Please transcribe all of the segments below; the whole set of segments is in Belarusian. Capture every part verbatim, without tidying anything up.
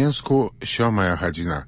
Мінску сёмая гадзіна.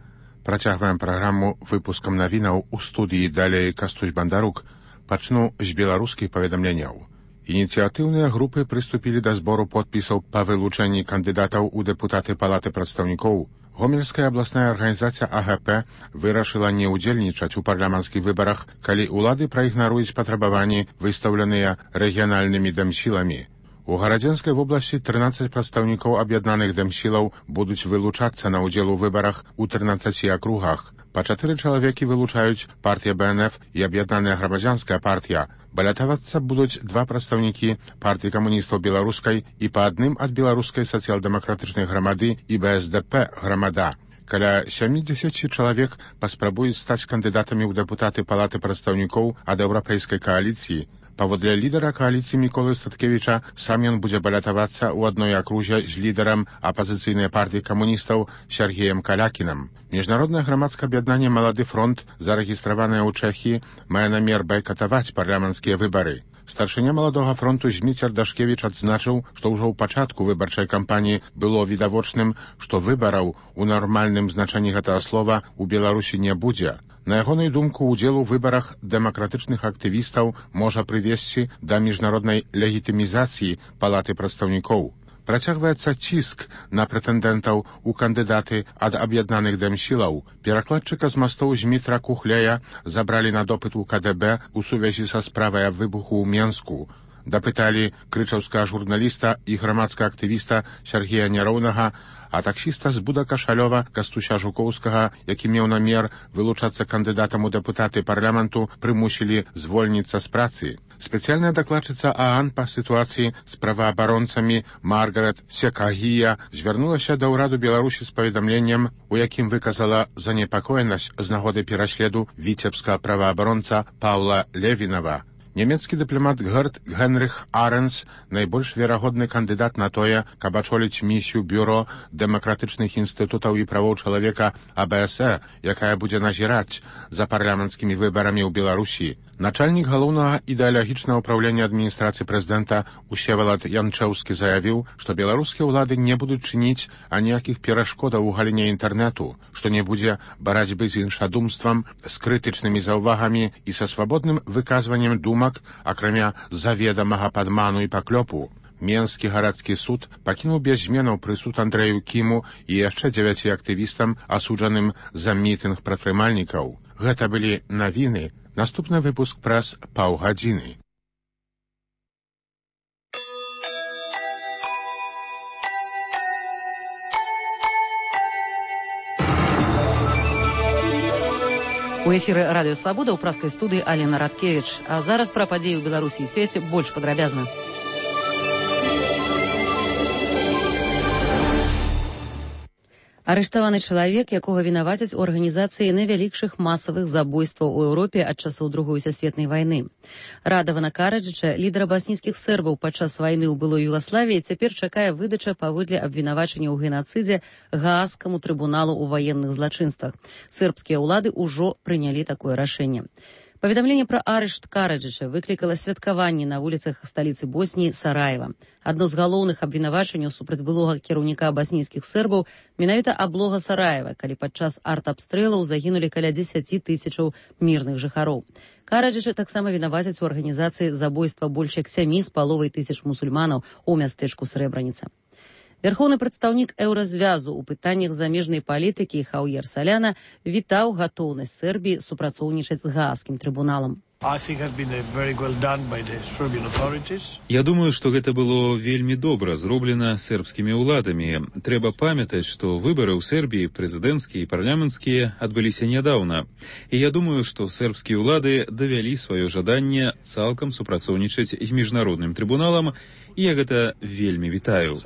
Працягваем праграму выпускам навінаў у студыі далей Кастусь Бандарук. Пачну з беларускіх паведамленняў. Ініцыятыўныя групы прыступілі да збору подпісаў па вылучэнні кандыдатаў у дэпутаты Палаты прадстаўнікоў. Гомельская абласная арганізацыя А Г П вырашыла не ўдзельнічаць у парламенцкіх выбарах, калі ўлады праігнаруюць патрабаванні, выстаўленыя рэгіянальнымі дэмсіламі. У Гарадзенскай вобласці трынаццаць прадстаўнікоў аб'яднаных дэмсілаў будуць вылучацца на ўдзел у выбарах у трынаццаці акругах. Па чатыры чалавекі вылучаюць партыя Б Н Ф і аб'яднаная грамадзянская партія. Балятавацца будуць два прадстаўнікі партыі камуністаў беларускай і па адным ад беларускай сацыял-дэмакратычнай грамады і Б С Д П грамада. Каля сямдзесят чалавек паспрабуюць стаць кандыдатамі ў дэпутаты Палаты прадстаўнікоў ад еўрапейскай кааліцыі. Паводле лідара кааліцыі Міколы Статкевіча, сам ён будзе балятавацца ў адной акрузе з лідарам апазіцыйнай партыі камуністаў Сергеем Калякінам. Міжнароднае грамадскае аб'яднанне «Малады фронт», зарэгістраванае ў Чэхіі, мае намер байкатаваць парламенцкія выбары. Старшыня «Маладога фронту» Зміцер Дашкевіч адзначыў, што ўжо ў пачатку выбарчай кампаніі было відавочным, што выбараў у нармальным значэнні гэтага слова ў Беларусі не будзе. На ягонай думку, удзел у выбарах дэмакратычных актывістаў можа прывесці да міжнароднай легітымізацыі Палаты прадстаўнікоў. Працягваецца ціск на прэтэндэнтаў у кандыдаты ад аб'яднаных дэмсілаў. Перакладчыка з мастоў Змітра Кухляя забралі на допыт у К Д Б у сувязі са справай аб выбуху ў Менску. Дапыталі крычаўскага журналіста і грамадскага актывіста Сергея Няроўнага, а таксіста з Буда-Кашалёва Кастуся Жукоўскага, які меў намер вылучацца кандыдатам у дэпутаты парламенту, прымусілі звольніцца з працы. Спецыяльная дакладчыца А А Н па сітуацыі з праваабаронцамі Маргарет Секагія звярнулася да ўраду Беларусі з паведамленнем, у якім выказала занепакоенасць з нагоды пераследу віцебскага праваабаронца Паўла Левінава. Нямецкі дыпламат Герт Генрих Аренс найбольш верагодны кандыдат на тое, каб ачоліць місію бюро дэмакратычных інстытутаў і правоў чалавека А Б С Э, якая будзе назіраць за парламенцкімі выбарамі ў Беларусі. Начальнік галоўнага ідэалагічнага ўпраўлення адміністрацыі прэзідэнта Усевалад Янчэўскі заявіў, што беларускія ўлады не будуць чыніць аніякіх перашкодаў у галіне інтэрнэту, што не будзе барацьбы з іншадумствам, з крытычнымі заўвагамі і са свабодным выказваннем думак, акрамя заведамага падману і паклёпу. Менскі гарадскі суд пакінуў без зменаў прысуд Андрэю Кіму і яшчэ дзевяці актывістам, асуджаным за мітынг прадпрымальнікаў. Гэта былі навіны. Наступны выпуск праз паўгадзіны. У эфіры радыё Свабода ў праскай студыі Алена Радкевіч. А зараз пра падзеі ў Беларусі і свеце больш падрабязна. Арыштаваны чалавек, якога вінавацяць у арганізацыі найвялікшых масавых забойстваў у Еўропе ад часоў Другой сусветнай вайны. Радавана Караджыча, лідара баснійскіх сербаў падчас вайны ў былой Югаславіі, цяпер чакае выдача паводле абвінавачання ў генацыдзе Гаагскаму трыбуналу ў ваенных злачынствах. Сербскія ўлады ўжо прынялі такое рашэнне. Паведамленне пра арышт Караджыча выклікала святкаванні на вуліцах сталіцы Босніі Сараева. Адно з галоўных абвінавачанняў супраць былога кіраўніка баснійскіх сербаў менавіта аблога Сараева, калі падчас арт-абстрэлаў загінулі каля дзесяці тысячаў мірных жыхароў. Караджыча таксама вінавацяць у арганізацыі забойства больш як сямі з паловай тысяч мусульманаў у мястэчку Срэбраніца. Вярхоўны прадстаўнік еўразвязу ў пытаннях замежнай палітыкі Хаўер Саляна вітаў гатоўнасць Сербіі супрацоўнічаць з Гаагскім трыбуналам. Я думаю, што гэта было вельмі добра зроблена сербскімі ўладамі. Трэба памятаць, што выбары ў Сербіі, прэзідэнцкія і парламенцкія, адбыліся нядаўна. І я думаю, што сербскія ўлады давялі сваё жаданне цалкам супрацоўнічаць з міжнародным трыбуналам, і я гэта вельмі вітаю.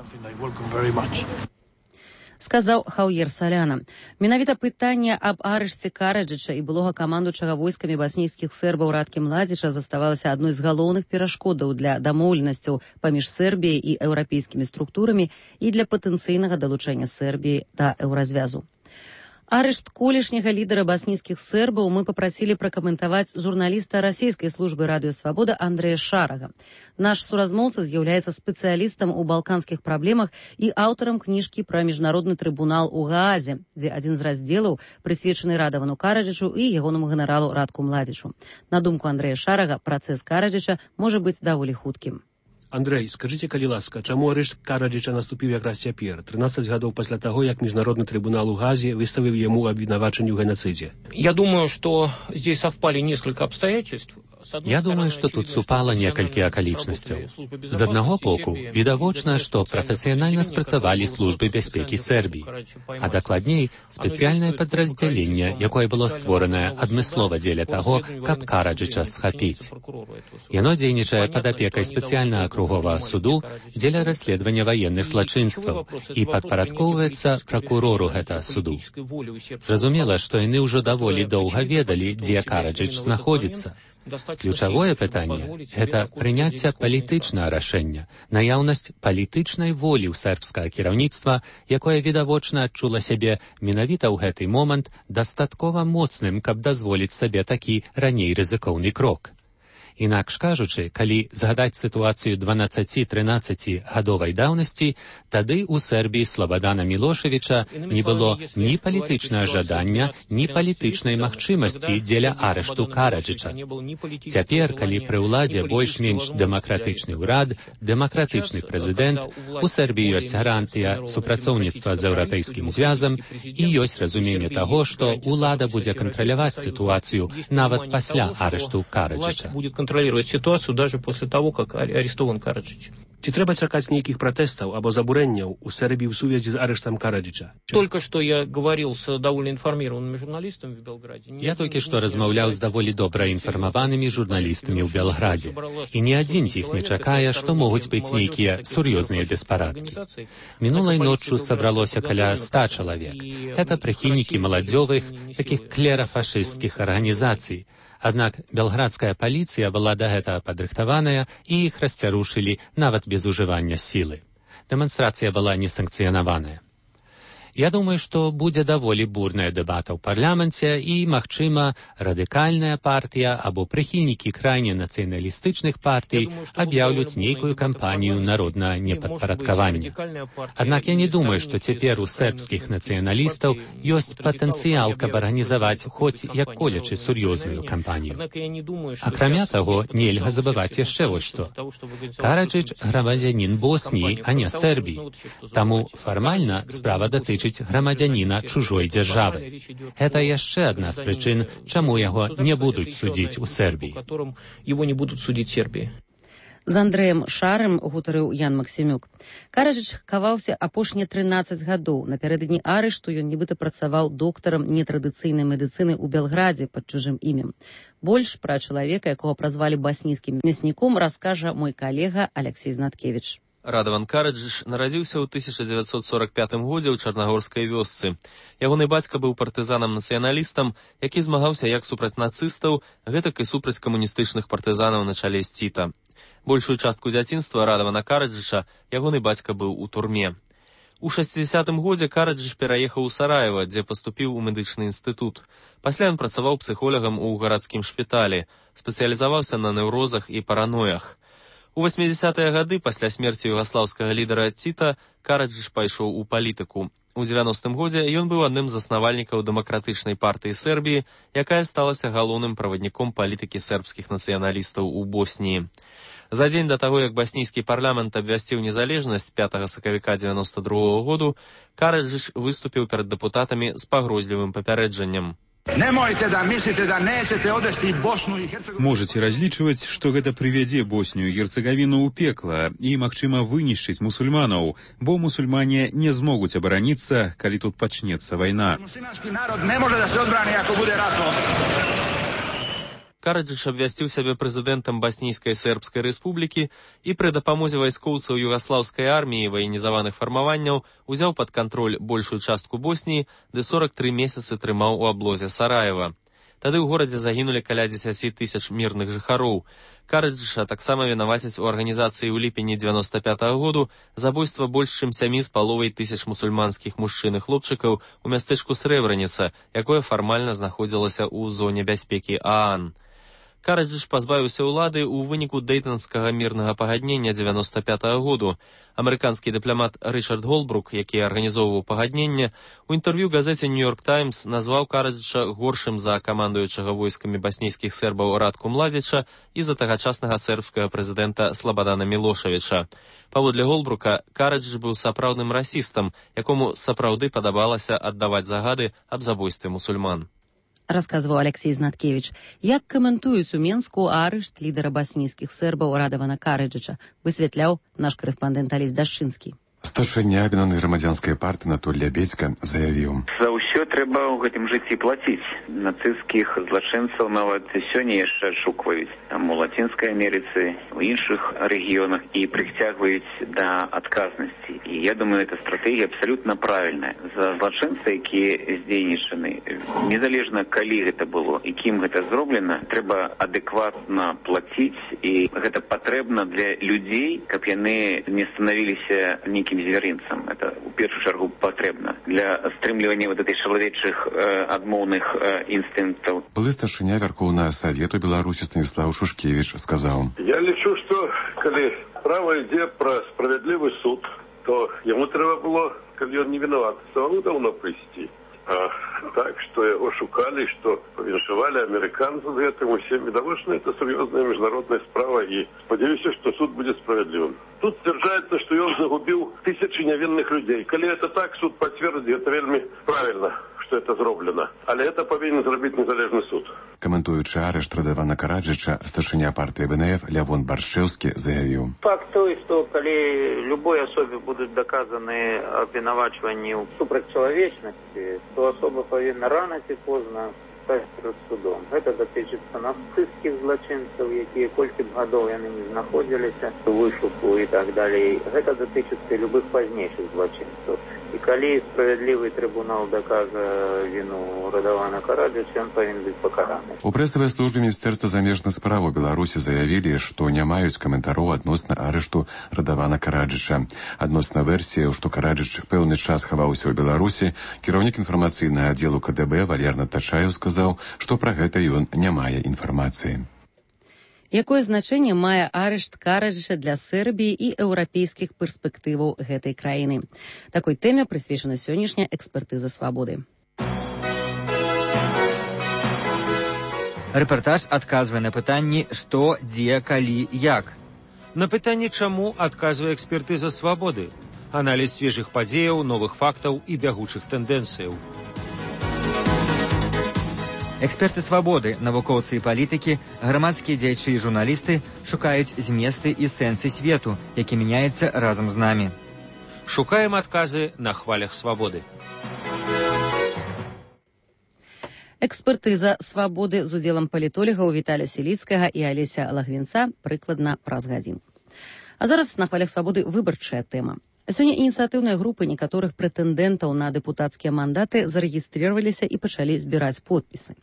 Сказаў Хаўер Саляна. Менавіта пытанне аб арышце Караджыча і былога камандуючага войскамі баснійскіх сербаў Радкі Младзіча заставалася адной з галоўных перашкодаў для дамоўленасцяў паміж Сербіяй і еўрапейскімі структурамі і для патэнцыйнага далучэння Сербіі да еўразвязу. Арышт колішняга лідара баснійскіх сербаў мы папрасілі пракаментаваць журналіста расійскай службы радыё Свабода Андрэя Шарага. Наш суразмоўца з'яўляецца спецыялістам у балканскіх праблемах і аўтарам кніжкі пра міжнародны трыбунал у Гаазе, дзе адзін з раздзелаў прысвечаны Радавану Караджычу і ягонаму генералу Радку Младзічу. На думку Андрэя Шарага, працэс Караджыча можа быць даволі хуткім. Андрэй, скажыце, калі ласка, чаму арышт Караджыча наступіў якраз цяпер, трынаццаць гадоў пасля таго, як міжнародны трибунал у Газе выставіў яму абвінавачанне ў геноцидзе? Я думаю, что здесь совпали несколько обстоятельств. Я думаю, што тут супала некалькі акалічнасцяў. З аднаго боку, відавочна, што прафесіянальна спрацавалі службы бяспекі Сербіі, а дакладней, спецыяльнае падраздзяленне, якое было створанае адмыслова дзеля таго, каб Караджыча схапіць. Яно дзейнічае пад апекай спецыяльнага акруговага суду дзеля расследавання ваенных злачынстваў і падпарадкоўваецца пракурору гэтага суду. Зразумела, што яны ўжо даволі доўга ведалі, дзе Караджыч знаходзіцца. Ключавое пытанне – гэта прыняцце палітычнага рашэння, наяўнасць палітычнай волі ў сербскага кіраўніцтва, якое відавочна адчула сябе менавіта ў гэты момант дастаткова моцным, каб дазволіць сабе такі раней рызыкоўны крок. Інакш кажучы, калі згадаць сітуацыю дванаццаці-трынаццаці гадовай даўнасці, тады ў Сербіі Слободана Мілошевіча не было ні палітычнага жадання, ні палітычнай магчымасці дзеля арышту Караджыча. Цяпер, калі пры ўладзе больш-менш дэмакратычны ўрад, дэмакратычны прэзідэнт, у Сербіі ёсць гарантыя супрацоўніцтва з еўрапейскім звязам і ёсць разуменне таго, што ўлада будзе кантраляваць сітуацыю нават пасля арышту Караджыча. Контролировать ситуацию даже после того, как арестован Караджич. Ці трэба чакаць нейкіх пратэстаў або забурэнняў у Сербіі ў сувязі з арыштам Караджыча? Только что я говорил с довольно информированными журналистами в Белграде. Я толькі што размаўляў з даволі добра інфармаванымі журналістамі ў Белградзе. І ні адзін з іх не чакае, што могуць быць нейкія сур'ёзныя беспарадкі. Мінулай ноччу сабралося каля ста чалавек. Гэта прыхільнікі маладзёвых, такіх клерафашысцкіх арганізацый. Аднак белградская паліцыя была да гэтага падрыхтаваная і іх расцярушылі нават без ужывання сілы. Дэманстрацыя была несанкцыянаваная. Я думаю, што будзе даволі бурная дэбата ў парламенце і, магчыма, радыкальная партыя або прыхільнікі крайне нацыяналістычных партый аб'яўляць нейкую кампанію народнага непадпарадкавання. Аднак я не думаю, што цяпер у сербскіх нацыяналістаў ёсць патэнцыял, каб арганізаваць хоць як-колечы сур'ёзную кампанію. Акрамя таго, нельга забываць яшчэ вось што. Караджыч грамадзянін Босніі, а не Сербіі. Таму фармальна справа датычыць грамадзяніна чужой дзяржавы. Гэта яшчэ адна з прычын, чаму яго не будуць судзіць у Сербіі. Его не будут судить в Сербии. З Андрэем Шарым гутарыў Ян Максімюк. Караджыч хаваўся апошнія трынаццаць гадоў. Напярэдадні арышту ён нібыта працаваў доктарам нетрадыцыйнай медыцыны ў Белградзе пад чужым імем. Больш пра чалавека, якога празвалі баснійскім мясніком, раскажа мой калега Алексей Знаткевіч. Радаван Караджыч нарадзіўся ў тысяча дзевяцьсот сорак пятым годзе ў чарнагорскай вёсцы. Ягоны бацька быў партызанам-нацыяналістам, які змагаўся як супраць нацыстаў, гэтак і супраць камуністычных партызанаў на чале з Ціта. Большую частку дзяцінства Радавана Караджыча ягоны бацька быў у турме. У шэсцідзясятым годзе Караджыч пераехаў у Сараева, дзе паступіў у медычны інстытут. Пасля ён працаваў псіхолагам у гарадскім шпіталі, спецыялізаваўся на неўрозах і параноях. У васьмідзясятыя гады, пасля смерці югаслаўскага лідара Ціта, Караджыч пайшоў у палітыку. У дзевяностым годзе ён быў адным з заснавальнікаў дэмакратычнай партыі Сербіі, якая сталася галоўным правадніком палітыкі сербскіх нацыяналістаў у Босніі. За дзень да таго, як баснійскі парламент абвясціў незалежнасць пятага сакавіка дзевяноста другога году, Караджыч выступіў перад дэпутатамі з пагрозлівым папярэджаннем. Можете разлічваць, што гэта прывядзе Боснію і Герцегавіну ў пекла і, магчыма, вынішчыць мусульманаў, бо мусульмане не змогуць абараніцца, калі тут пачнецца вайна. Караджыч абвясціў сябе прэзідэнтам Баснійскай Сербскай Рэспублікі і пры дапамозе вайскоўцаў югаслаўскай арміі і ваенізаваных фармаванняў узяў пад кантроль большую частку Босніі, ды сорак тры месяцы трымаў у аблозе Сараева. Тады ў горадзе загінулі каля дзесяці тысяч мірных жыхароў. Караджыча таксама вінавацяць у арганізацыі ў ліпені дзевяноста пятага году забойства больш чым сямі з паловай тысяч мусульманскіх мужчын і хлопчыкаў у мястэчку Срэбраніца, якое фармальна знаходзілася ў зоне бяспекі ААН. Караджыч пазбавіўся ўлады ў выніку дэйтанскага мірнага пагаднення дзевяноста пятага году. Амерыканскі дыпламат Рычард Голбрук, які арганізоўваў пагадненне, у інтэрв'ю газеце «Нью-Йорк Таймс» назваў Караджыча горшым за камандуючага войскамі баснійскіх сербаў Радку Младзіча і за тагачаснага сербскага прэзідэнта Слабадана Мілошавіча. Паводле Голбрука, Караджыч быў сапраўдным расістам, якому сапраўды падабалася аддаваць загады аб забойстве мусульман. Расказваў Алексей Знаткевич. Як каментуюць у Менску арышт лідара баснійскіх сербаў Радавана Караджыча, высвятляў наш карэспандэнт Алесь Дашчынскі. Старшыня аб'яднанай грамадзянскай партыі Анатоль Лябедзька заявіў: За ўсё трэба ў гэтым жыцці плаціць. Нацысцкіх злачынцаў нават сёння яшчэ адшукваюць. Там у Лацінскай Амерыцы, у іншых рэгіёнах і прыцягваюць да адказнасці. І я думаю, эта стратэгія абсалютна правільная. За злачынцы, якія здзейнічаны, незалежна калі гэта было і кім гэта зроблена, трэба адэкватна плаціць, і гэта патрэбна для людзей, каб яны не станавіліся нейкім зверынцам. Это у першую чаргу патрэбна для стрымлівання вот этой чалавечых э, адмоўных э, інстынктаў. Былы старшыня Вярхоўнага Савету Беларусі Станіслав Шушкевіч сказаў: Я лічу, што калі справа ідзе пра справядлівы суд, то яму трэба было, калі ён не вінаваты, самому даўно прыйсці. А так, што яго шукалі, што павіншавалі амерыканцаў з гэтым усім, відавочна, это сур'ёзная міжнародная справа, і спадзяюся, што суд будзе справядлівым. Тут сцвярджаецца, што ён загубіў тысячы нявінных людзей. Калі это так, суд пацвердзіць, гэта вельмі правільна, што это зроблена. Але это павінен зрабіць незалежны суд. Каментуючы арышт Радавана Караджыча, старшыня партыі ВНФ Лявон Баршэўскі заявіў: Факт той, што калі любой асобе будуць доказаны абвінавачванні ў супрацьчалавечнасці, то асоба павінна рана ці позна стаць перад судом. Гэта датычыцца нацысцкіх злачынцаў, якія колькі б гадоў яны не знаходзіліся у вышуку і так далей. Гэта датычыцца і любых пазнейшых злачынцаў. І калі справядлівы трыбунал дакажа віну Радавана Караджыча, ён павінен быць пакараны. У прэсавай службе Міністэрства замежных спраў Беларусі заявілі, што не маюць каментароў адносна арышту Радавана Караджыча. Адносна версіяў, што Караджыч пэўны час хаваўся ў Беларусі, кіраўнік інфармацыйнага аддзелу КДБ Валерна Тачаеў сказаў, што пра гэта ён не мае інфармацыі. Якое значэнне мае арышт Караджыча для Сербіі і еўрапейскіх перспектываў гэтай краіны? Такой тэме прысвечана сённяшняя экспертыза «Свабоды». Рэпартаж адказвае на пытанні «Што, дзе, калі, як?». На пытанне «Чаму» адказвае экспертыза «Свабоды». Аналіз свежых падзеяў, новых фактаў і бягучых тэндэнцыяў. Эксперты «Свабоды», навукоўцы і палітыкі, грамадскія дзеячы і журналісты шукаюць зместы і сэнсы свету, які мяняецца разам з намі. Шукаем адказы на хвалях «Свабоды». Экспертыза «Свабоды» з удзелам палітолігаў Віталя Селіцкага і Алеся Лагвінца прыкладна праз гадзін. А зараз на хвалях «Свабоды» выбарчая тэма. Сёння ініцыятыўныя групы некаторых прэтэндэнтаў на дэпутацкія мандаты зарэгістрироваліся і пачалі збіраць подпісы.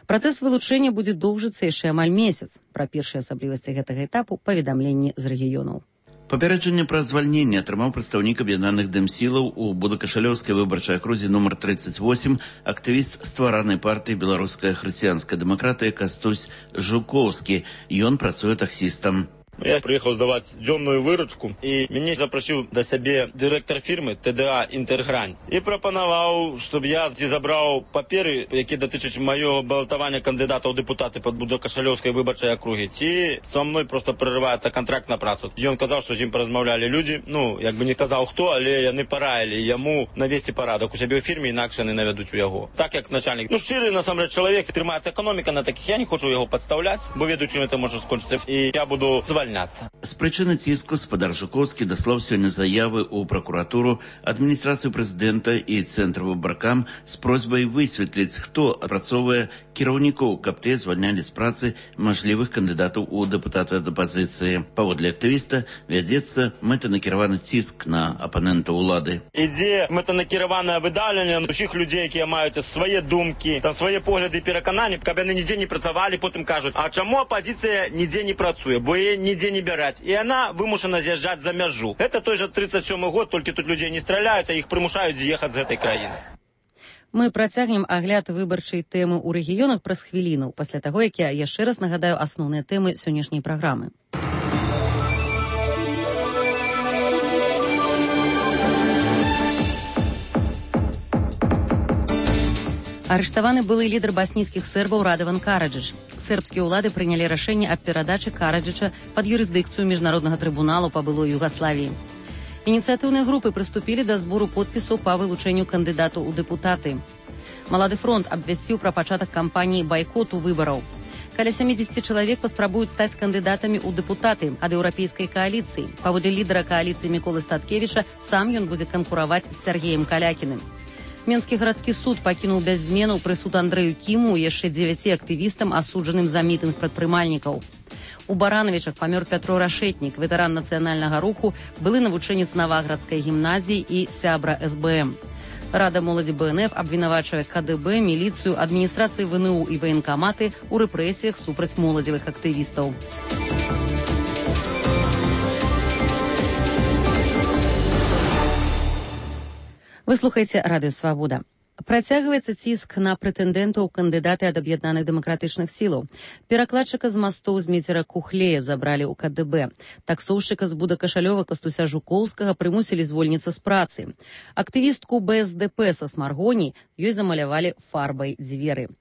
Працэс вылучэння будзе доўжыцца яшчэ амаль месяц. Пра першыя асаблівасці гэтага этапу паведамленні з рэгіёнаў. Папярэджанне пра звальненне атрымаў прадстаўнік аб'яднаных дэмсілаў у Будакашалёўскай выбарчай акрузе нумар тридцать восемь, актывіст стваранай партыі «Беларуская хрысціянская дэмакратыя» Кастусь Жукоўскі. Ён працуе таксістам. Я приехал сдавать дзённую выручку, и меня запросил до себе директор фирмы ТДА «Інтергрань». И пропонував, щоб я забрав папери, які дотичать моего балотування кандидата у депутати під Будокашалёўскай виборчої округи. Ці со мною просто переривається контракт на працю. І він казав, що з ним порозмовляли люди, ну, якби не казав хто, але вони порадили йому навести порядок у себе у фірмі, інакше не наведуть у його. Так як начальник, ну, щирий, насамперед, чоловік, тримається економіка на таких, я не хочу його підставляти, бо ведучим це може скончитися. І я буду звальняти увольняться. С причины ціску спадар Жуковский даслаў сёння заявы ў прокуратуру, адміністрацыю прэзідэнта і цэнтр выбаркам з просьбай высветліць, хто апрацоўвае кіраўнікоў, каб те звальнялі з працы мажлівых кандыдатаў у дэпутаты ад апазіцыі. Паводле актывіста вядзецца мэтанакіраваны ціск на апанента ўлады. Ідзе мэтанакіраванае выдаўленне усіх людзей, якія маюць свае думкі, там свае погляды і перакананні, каб яны нідзе не працавалі, потым кажуць, а чаму апазіцыя нідзе не працуе, бо яе нідзе не бяраць. І яна вымушана з'язджаць за мяжу. Гэта той жа тридцать сёмы год, толькі тут людзей не страляюць, а іх прымушаюць з'ехаць з гэтай краіны. Мы працягнем агляд выбарчай тэмы ў рэгіёнах праз хвіліну, пасля таго, як я яшчэ раз нагадаю асноўныя тэмы сённяшняй праграмы. Арыштаваны былы лідар баснійскіх сербаў Радаван Караджыч. Сербскія ўлады прынялі рашэнне аб перадачы Караджыча пад юрысдыкцыю міжнароднага трыбуналу па былой Югаславіі. Ініцыятыўныя групы прыступілі да збору подпісаў па вылучэнню кандыдату ў дэпутаты. Малады фронт абвясціў пра пачатак кампаніі байкоту выбараў. Каля сямдзесят чалавек паспрабуюць стаць кандыдатамі ў дэпутаты ад еўрапейскай кааліцыі. Паводле лідара кааліцыі Міколы Статкевіча, сам ён будзе канкураваць з Сергеем Калякіным. Менскі гарадскі суд пакінуў без зменаў прысуд Андрэю Кіму і яшчэ дзевяці актывістам, асуджаным за мітынг прадпрымальнікаў. У Баранавічах памёр Пятро Рашэтнік, ветэран нацыянальнага руху, былы навучэнец Наваградскай гімназіі і сябра эс бэ эм. Рада моладзі бэ эн эф абвінавачвае ка дэ бэ, міліцыю, адміністрацыі вэ эн у і ваенкаматы ў рэпрэсіях супраць моладзевых актывістаў. Вы слухаеце Радыё Свабода. Працягваецца ціск на прэтэндэнтаў кандыдаты ад аб'яднаных дэмакратычных сілаў. Перакладчыка з мастоў з Мецера Кухлея забралі ў ка дэ бэ. Таксоўшчыка з Будакашалёва Кастуся Жукоўскага прымусілі звольніцца з працы. Актывістку бэ эс дэ пэ са Смаргоні ёй замалявалі фарбай дзверы.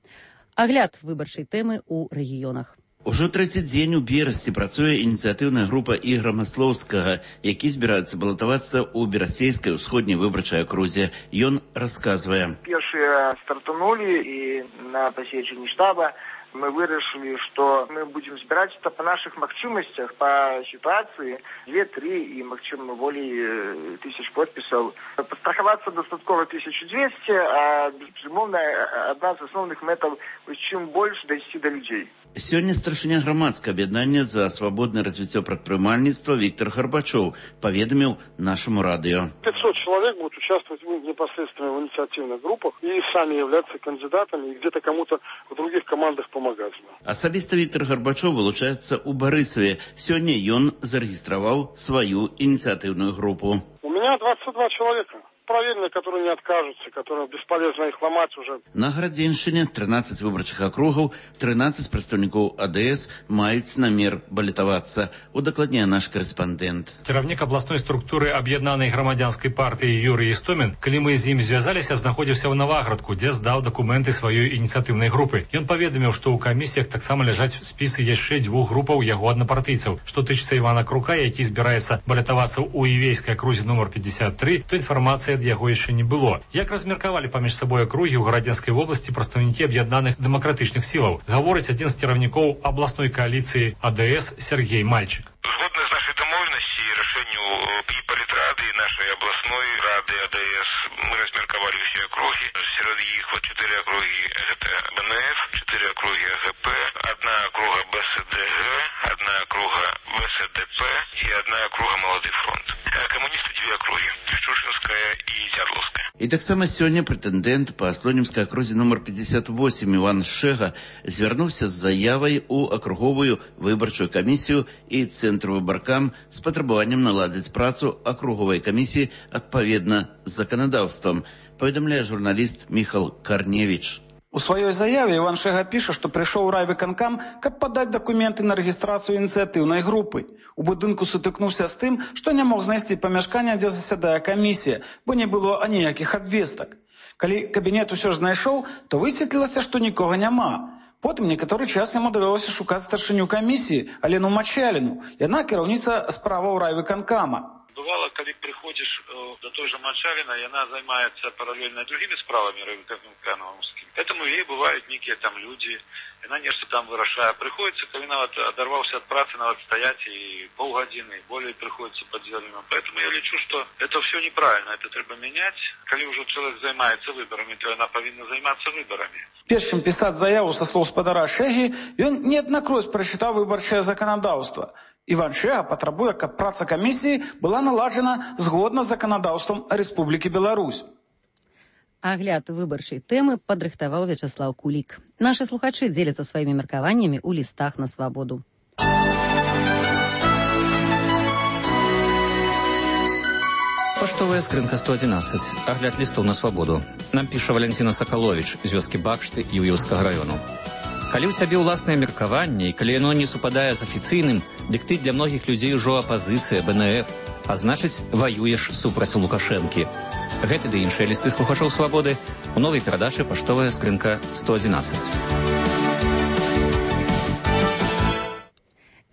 Агляд выбарчай тэмы ў рэгіёнах. Ужо трэці дзень у Берасці працуе ініцыятыўная група Ігора Маслоўскага, які збіраецца балатавацца ў берасцейскай усходняй выбарчай акрузе. Ён расказвае. Першыя стартанулі і на пасечанні штаба мы вырашылі, што мы будзем збіраць па нашых магчымасцях, па сітуацыі две-тры і, магчыма, болей тысяч подпісаў. Пастрахавацца дастаткова тысяча двести, а, безумоўна, адна з асноўных мэтаў, чым больш дайсці да людзей. Сёння старшыня грамадскага аб'яднання за свабоднае развіццё прадпрымальніцтва Віктор Гарбачоў паведаміў нашаму радыё. пятьсот человек будут участвовать непосредственно в инициативных группах и сами являться кандидатами, и где-то кому-то в других командах помогать. Асабіста Віктор Гарбачоў вылучаецца ў Барысаве. Сёння ён зарэгістраваў сваю ініцыятыўную групу. У меня двадцать два человека. Проверенные, которые не откажутся, которые бесполезно их ломать уже. На Градзеншчыне трынаццаць выбарчых акругаў, трынаццаць прадстаўнікоў а дэ эс маюць намер балатавацца. Удакладняе наш корэспандэнт. Кіраўнік абласной структуры аб'яднанай грамадзянскай партыі Юрый Істомін, калі мы з ім звязаліся, знаходзіўся ў Наваградку, дзе здаў дакументы сваёй ініцыятыўнай групы. Ён паведаміў, што ў камісіях таксама ляжаць спісы яшчэ дзвюх групаў яго аднапартыйцаў. Што тычыцца Івана Крука, які збіраецца балатавацца ў Івейскай акрузе нумар пятьдесят три, то інфармацыя ад яго яшчэ не было. Як размеркавалі паміж сабой акругі ў Гарадзенскай вобласці прадстаўнікі аб'яднаных дэмакратычных сілаў, гаворыць адзін з кіраўнікоў абласной кааліцыі а дэ эс Сергей Мальчик. Згодна з нашай дамоўленасці і рашэнню і палітрады, і нашай абласной рады а дэ эс, мы размеркавалі ўсе акругі. Сярод іх чатыры акругі гэта бэ эн эф, чатыры акругі а гэ пэ, адна акруга бэ эс дэ гэ, адна акруга вэ эс дэ пэ і адна акруга Малады фронт. Камуністы дзве акругі, Шушынская і Дзярловская. І таксама сёння прэтэндэнт па Слонімскай акрузе нумар пятьдесят восемь Іван Шэга звярнуўся з заявай у акруговую выбарчую камісію і цэнтр выбаркам з патрабаваннем наладзіць працу акруговай камісіі адпаведна з заканадаўствам, паведамляе журналіст Міхал Карневіч. У сваёй заяве Іван Шэга піша, што прыйшоў у райвыканкам, каб падаць дакументы на рэгістрацыю ініцыятыўнай групы. У будынку сутыкнуўся з тым, што не мог знайсці памяшкання, дзе засядае камісія, бо не было аніякіх абвестак. Калі кабінет усё ж знайшоў, то высветлілася, што нікога няма. Потым некаторы час яму давялося шукаць старшыню камісіі, Алену Мачаліну. Яна кіраўніца справаў райвыканкама. Бывало, когда приходишь э, до той же Мачарина, и она занимается параллельно другими справами рынками. Этому ей бывают некие там люди, и она нечто там вырашает. Приходится, когда она оторвался от працы, надо стоять и полгодины, и более приходится под зеленым. Поэтому я лечу, что это все неправильно, это треба менять. Когда уже человек занимается выборами, то она повинна заниматься выборами. Перш чым пісаць заяву са слоў спадара Шэгі, ён неаднакроць прачытаў выбарчае заканадаўства. Іван Шэга патрабуе, каб праца камісіі была наладжана згодна з заканадаўствам Рэспублікі Беларусь. Агляд выбарчай тэмы падрыхтаваў Вячаслаў Кулік. Нашы слухачы дзеляцца сваімі меркаваннямі ў лістах на свабоду. Паштовая скрынка сто одиннадцать. Агляд лістов на свабоду. Нам піша Валентина Сакалович з вёскі Бакшты Юіўскага раёну. Калі ў цябе ўласнае меркаванне, і калі яно не супадае з афіцыйным, дык ты для многіх людзей ужо апазіцыя, бэ эн эф, а значыць, ваюеш супраць Лукашэнкі. Гэты ды іншыя лісты слухачоў свабоды у новай перадачы «Паштовая скрынка сто одиннадцать».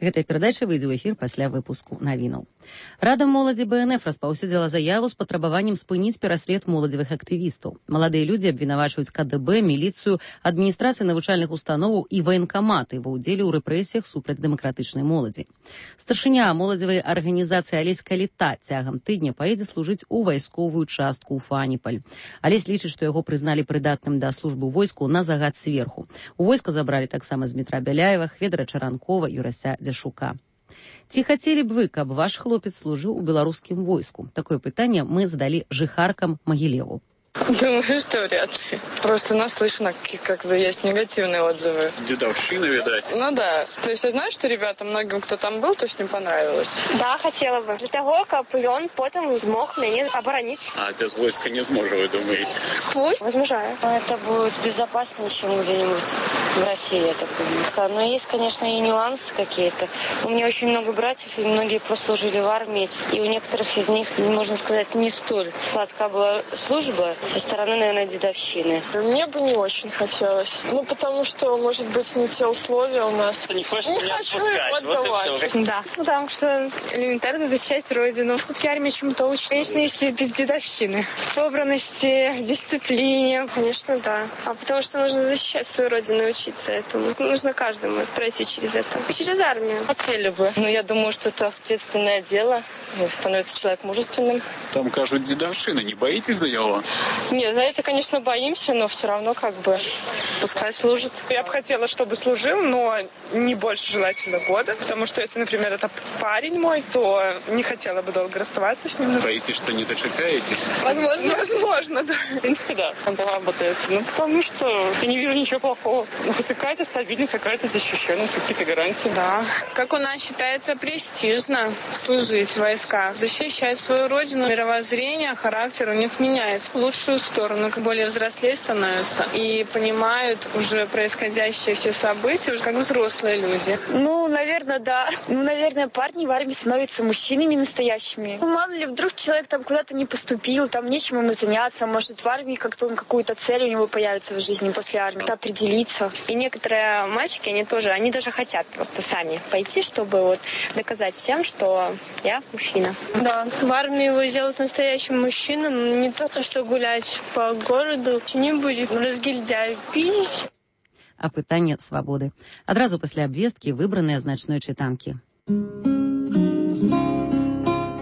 Гэтая перадача выйдзе ў эфір пасля выпуску навінаў. Рада моладзі бэ эн эф распаўсюдзіла заяву з патрабаваннем спыніць пераслед моладзевых актывістаў. Маладыя людзі абвінавачваюць ка дэ бэ, міліцыю, адміністрацыі навучальных установаў і ваенкаматы ва ўдзеле ў рэпрэсіях супраць дэмакратычнай моладзі. Старшыня моладзевай арганізацыі Алесь Каліта цягам тыдня паедзе служыць у вайсковую частку ў Фаніпаль. Алесь лічыць, што яго прызналі прыдатным да службы ў войску на загад сверху. У войска забралі таксама Змітра Бяляева, Хведара Чаранкова, Юрася Дзяшука. Ці хацелі б вы, каб ваш хлопец служыў у беларускім войску? Такое пытанне мы задалі жыхаркам Магілеву. Думаю, что вряд ли. Просто наслышано, как бы есть негативные отзывы. Дедовщина, видать. Ну да. То есть я знаю, что ребята, многим, кто там был, то есть не понравилось. Да, хотела бы. Для того, как он потом смог меня оборонить. А без войска не сможет, вы думаете? Пусть, возмужаю. Это будет безопаснее, чем где-нибудь в России, я так думаю. Но есть, конечно, и нюансы какие-то. У меня очень много братьев, и многие прослужили в армии. И у некоторых из них, можно сказать, не столь сладка была служба со стороны, наверное, дедовщины. Мне бы не очень хотелось. Ну, потому что, может быть, не те условия у нас. Ты не хочешь не меня хочу отпускать, отдавать. вот и все. Да, потому что элементарно защищать родину. Все-таки армия чему-то учит. Конечно, если без дедовщины. Собранности, дисциплине. Конечно, да. А потому что нужно защищать свою родину и учиться этому. Нужно каждому пройти через это. И через армию. Хотели бы. Но я думаю, что это ответственное дело. Становится человек мужественным. Там кажут дедовщина. Не боитесь за него? Нет, за это, конечно, боимся, но все равно как бы пускай служит. Я бы хотела, чтобы служил, но не больше желательно года, потому что если, например, это парень мой, то не хотела бы долго расставаться с ним. Боитесь, что не дочекаетесь? Возможно, возможно, да. В принципе, да, он работает. Ну, потому что я не вижу ничего плохого. Ну, хоть какая-то стабильность, какая-то защищенность, какие-то гарантии. Да. Как у нас считается престижно служить в войсках, защищать свою родину, мировоззрение, характер у них меняется в лучшую сторону, как более взрослее становятся и понимают уже происходящие все события, уже как взрослые люди. Ну, наверное, да. Ну, наверное, парни в армии становятся мужчинами настоящими. Ну, мало ли, вдруг человек там куда-то не поступил, там нечем ему заняться, может, в армии как-то он какую-то цель у него появится в жизни после армии, определиться. И некоторые мальчики, они тоже, они даже хотят просто сами пойти, чтобы вот доказать всем, что я мужчина. Да, в армии его сделают настоящим мужчином, не только что гулять по городу, не будет разгильдяй пить. А пытанне свабоды. Адразу пасля абвесткі выбраныя значной чытанкі.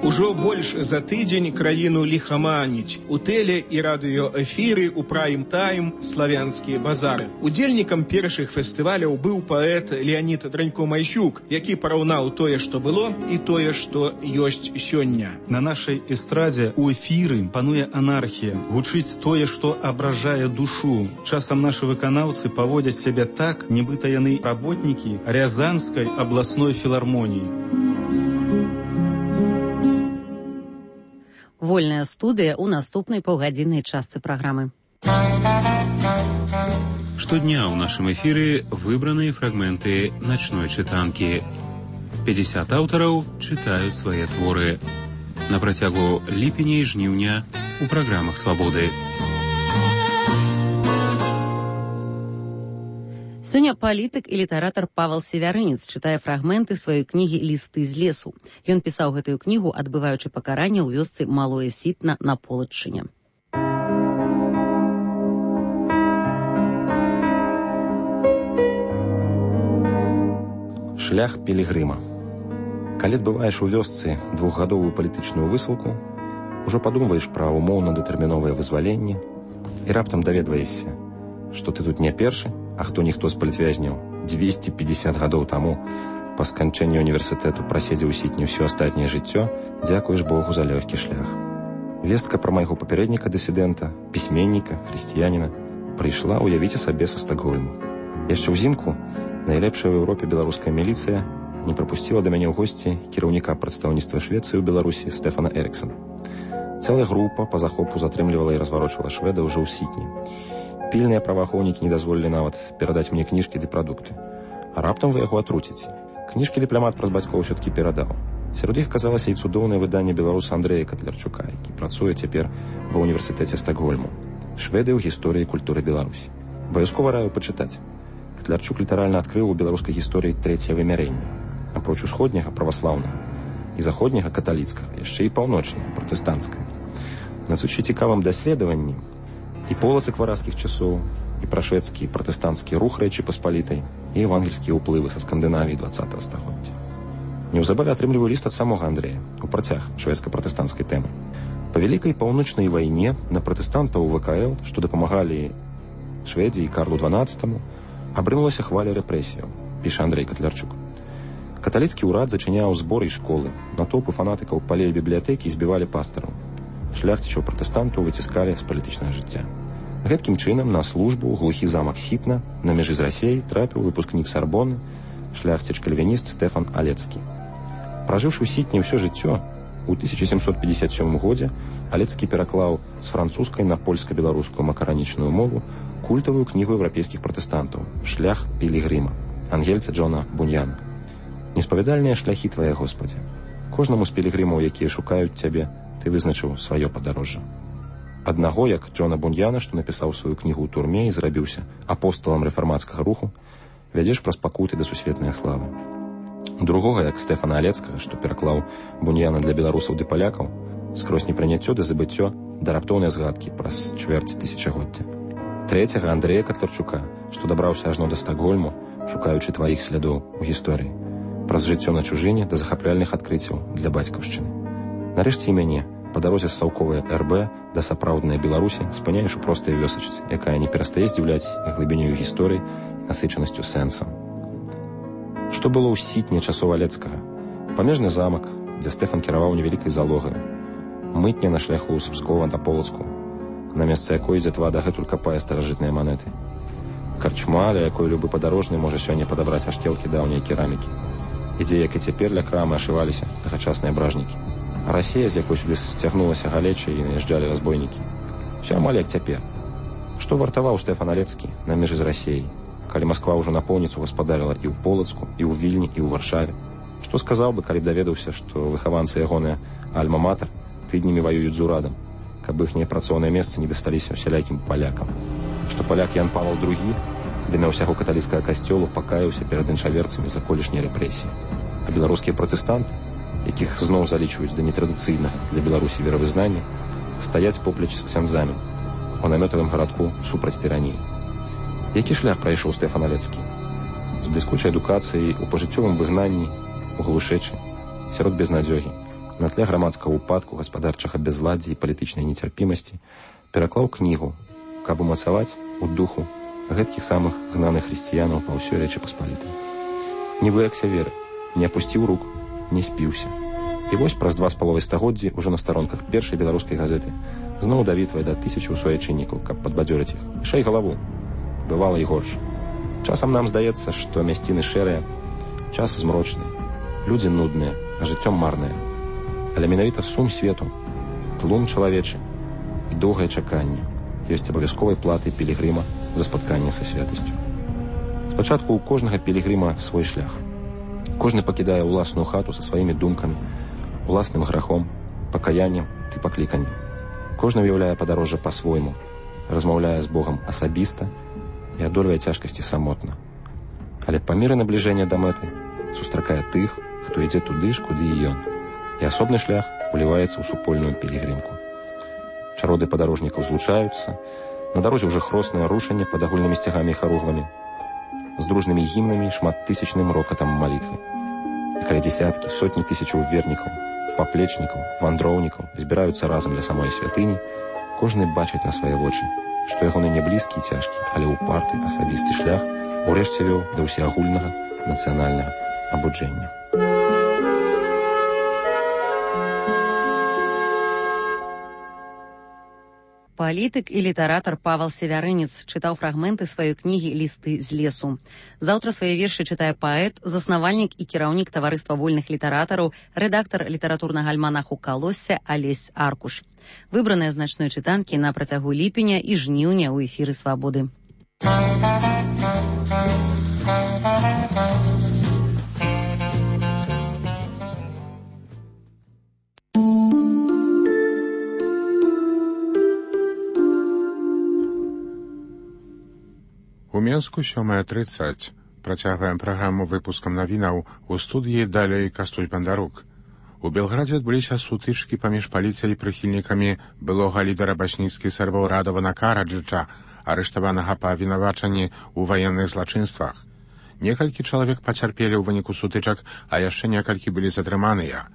Ужо больш за тыдзень краіну ліхаманіць. У тэле і радыёэфіры, у прайм-тайм, славянскія базары. Удзельнікам першых фестываляў быў паэт Леонід Дранько-Майсюк, які параўнаў тое, што было, і тое, што ёсць сёння. На нашай эстрадзе у эфіры пануе анархія. Гучыць тое, што абражае душу. Часам нашы выканаўцы паводзяць сябе так, нібыта яны работнікі Рязанскай абласной філармоніі. Вольная студыя ў наступнай паўгадзіннай частцы праграмы. Штодня ў нашым эфіры выбраныя фрагменты начной чытанкі. пятьдесят аўтараў чытаюць свае творы. На працягу ліпеня і жніўня у праграмах «Свабоды». Сёння палітык і літаратар Павел Севярынец чытае фрагменты сваёй кнігі «Лісты з лесу». Ён пісаў гэтую кнігу, адбываючы пакаранне ў вёсцы Малое Сітна на Полаччыне. Шлях пілігрыма. Калі адбываеш у вёсцы двухгадовую палітычную высылку, ужо падумваеш пра умоўна-дэтэрміновае вызваленне і раптам даведваешся, што ты тут не першы, а хто-ніхто з палітвязняў дзвесце пятьдесят гадоў таму па сканчэнні універсітэту праседзеў у Сітні ўсё астатняе жыццё, дзякуеш Богу за лёгкі шлях. Вестка пра майго папярэдніка-дысідэнта, пісьменніка, хрысціяніна прыйшла, уявіце сабе, са Стакгольму. Яшчэ ўзімку найлепшая ў Еўропе беларуская міліцыя не прапусціла да мяне ў госці кіраўніка прадстаўніцтва Швецыі ў Беларусі Стэфана Эрыксана. Цэлая група па захопу затрымлівала і разварочвала шведа ўжо ў Сітні. Пільныя праваахоўнікі не дазволілі нават перадаць мне кніжкі ды прадукты. А раптам вы яго атруціце. Кніжкі дыпламат праз бацькоў усё-ткі перадаў. Сярод іх казалася і цудоўнае выданне беларуса Андрэя Катлярчука, які працуе цяпер ва ўніверсітэце Стакгольму. Шведы ў гісторыі і культуры Беларусі. Абавязкова раю пачытаць. Катлярчук літаральна адкрыў у беларускай гісторыі трэцяе вымярэнне. Апроч усходняга праваслаўнага і заходняга каталіцкага, яшчэ і паўночнага пратэстанцкага. На сучы цікавым даследаванні і полацак варазкіх часоў, і пра шведскі пратэстанцкі рух Рэчы Паспалітай, і евангельскія ўплывы са Скандынавіі двадцатага стагоддзя. Неўзабаве атрымліваю ліст ад самога Андрэя у працяг шведска-пратэстанцкай тэмы. Па вялікай паўночнай вайне на пратэстантаў ВКЛ, што дапамагалі Шведзе і Карлу дванаццатаму, абрынулася хваля рэпрэсіяў, піша Андрэй Катлярчук. Каталіцкі ўрад зачыняў зборы і школы, натоўпы фанатыкаў палілі бібліятэкі і збівалі пастараў. Шляхцічаў пратэстантаў выціскалі з палітычнага жыцця. Гэткім чынам на службу ў глухі замак Сітна на мяжы з Расеяй трапіў выпускнік Сарбоны, шляхціч-кальвініст Стэфан Алецкі. Пражыўшы ў Сітні ўсё жыццё, у тысяча сямсот пятьдесят сёмым годзе Алецкі пераклаў з французскай на польска-беларускую макаранічную мову культавую кнігу еўрапейскіх пратэстантаў «Шлях пілігрыма» ангельца Джона Буньяна. Неспавядальныя шляхі твае, Господзе. Кожнаму з пілігрымаў, якія шукаюць цябе, ты вызначыў сваё падарожжа. Аднаго, як Джона Буньяна, што напісаў сваю кнігу ў турме і зрабіўся апосталам рэфармацкага руху, вядзеш праз пакуты да сусветнай славы. Другога, як Стэфана Алецкага, што пераклаў Буньяна для беларусаў ды палякаў, скрозь непрыняццё ды забыццё да раптоўнай згадкі праз чвэрць тысячагоддзя. Трэцяга Андрэя Катлярчука, што дабраўся ажно да Стакгольму, шукаючы тваіх слядоў у гісторыі, праз жыццё на чужыне да захапляльных адкрыццяў для бацькаўшчыны. Нарэшце і мяне, па дарозе з саўковай эр бэ да сапраўднай Беларусі, спыняеш у простай вёсачцы, якая не перастае здзіўляць глыбінёю гісторыі і насычанасцю сэнсам. Што было ў Сітні часоў Алецкага? Памежны замак, дзе Стэфан кіраваў невялікай залогаю. Мытня на шляху з Пскова да Полацку, на месца якой дзятва дагэтуль капае старажытныя манеты. Карчма, ля якой любы падарожны можа сёння падабраць аштелкі даўняй керамікі. І дзе, як і цяпер, ля крамы ашываліся тагачасныя бражнікі. А Расія, з якой сюды сцягнулася галеча і наязджалі разбойнікі. Усё амаль як цяпер. Што вартаваў Стэфан Алецкі на межы з Расіяй, калі Масква ўжо напоўніцу гаспадарыла і ў Полацку, і ў Вільні, і ў Варшаве? Што сказаў бы, калі б даведаўся, што выхаванцы ягоныя альма-матэр тыднямі ваююць з урадам, каб іхнія працоўныя месцы не дасталіся усялякім палякам? Што паляк Ян Павел другі ды на ўсяго каталіцкага касцёлу пакаяўся перад іншаверцамі за колішнія рэпрэсіі. А беларускія пратэстанты, якіх зноў залічваюць да нетрадыцыйнага для Беларусі веравызнання, стаяць поплеч з ксяндзамі у намётавым гарадку супраць тыраніі. Які шлях прайшоў Стэфан Алецкі? З бліскучай адукацыяй у пажыццёвым выгнанні, у глушэчы, сярод безнадзёгі, на тле грамадскага ўпадку, гаспадарчага бязладдзя і палітычнай нецярпімасці пераклаў кнігу, каб умацаваць у духу гэткіх самых гнаных хрысціянаў па ўсёй Рэчы Паспалітай. Не выякся веры, не апусціў рук, не спіўся. І вось праз два з паловай стагоддзі ўжо на старонках першай беларускай газеты зноў давітвае да тысячаў суайчыннікаў, каб падбадзёрыць іх. Шэй галаву. Бывала і горш. Часам нам здаецца, што мясціны шэрыя, час змрочны, людзі нудныя, а жыццё марнае. Але менавіта сум свету, тлум чалавечы і доўгае чаканне ёсць абавязковай платай пілігрыма за спатканне са святасцю. Спачатку ў кожнага пілігрыма свой шлях. Кожны пакідае ўласную хату са сваімі думкамі, уласным грахом, пакаяннем ды пакліканнем. Кожны выяўляе падарожжа па-свойму, размаўляе з Богам асабіста і адольвае цяжкасці самотна, Але па меры набліжэння да мэты сустракае тых, хто ідзе туды ж, куды і ён. І асобны шлях уліваецца ў супольную пілігрымку. Чароды падарожнікаў злучаюцца, на дарозе ўжо хроснае рушанне пад агульнымі сцягамі і харугвамі, з дружнымі гімнамі і шматтысячным рокатам малітвы. І каля дзесяткі, сотні тысячаў вернікаў, паплечнікаў, вандроўнікаў збіраюцца разам для самой святыні, кожны бачыць на свае вочы, што ягоны не блізкі і цяжкі, але ўпарты асабісты шлях урэшце вёў да ўсеагульнага нацыянальнага абуджэння. Палітык і літаратар Павал Севярынец чытаў фрагменты сваёй кнігі «Лісты з лесу». Заўтра свае вершы чытае паэт, заснавальнік і кіраўнік таварыства вольных літаратараў, рэдактар літаратурнага альманаху «Калосся» Алесь Аркуш. Выбраныя значной чытанкі на працягу ліпеня і жніўня ў эфіры «Свабоды». У Менску сёмая трыццаць. Працягваем праграму выпускам навінаў у студыі далей Кастусь Бандарук. У Белградзе адбыліся сутычкі паміж паліцыяй і прыхільнікамі былога лідара баснійскіх сербаў Радавана Караджыча, арыштаванага па абвінавачанні ў ваенных злачынствах. Некалькі чалавек пацярпелі ў выніку сутычак, а яшчэ некалькі былі затрыманыя.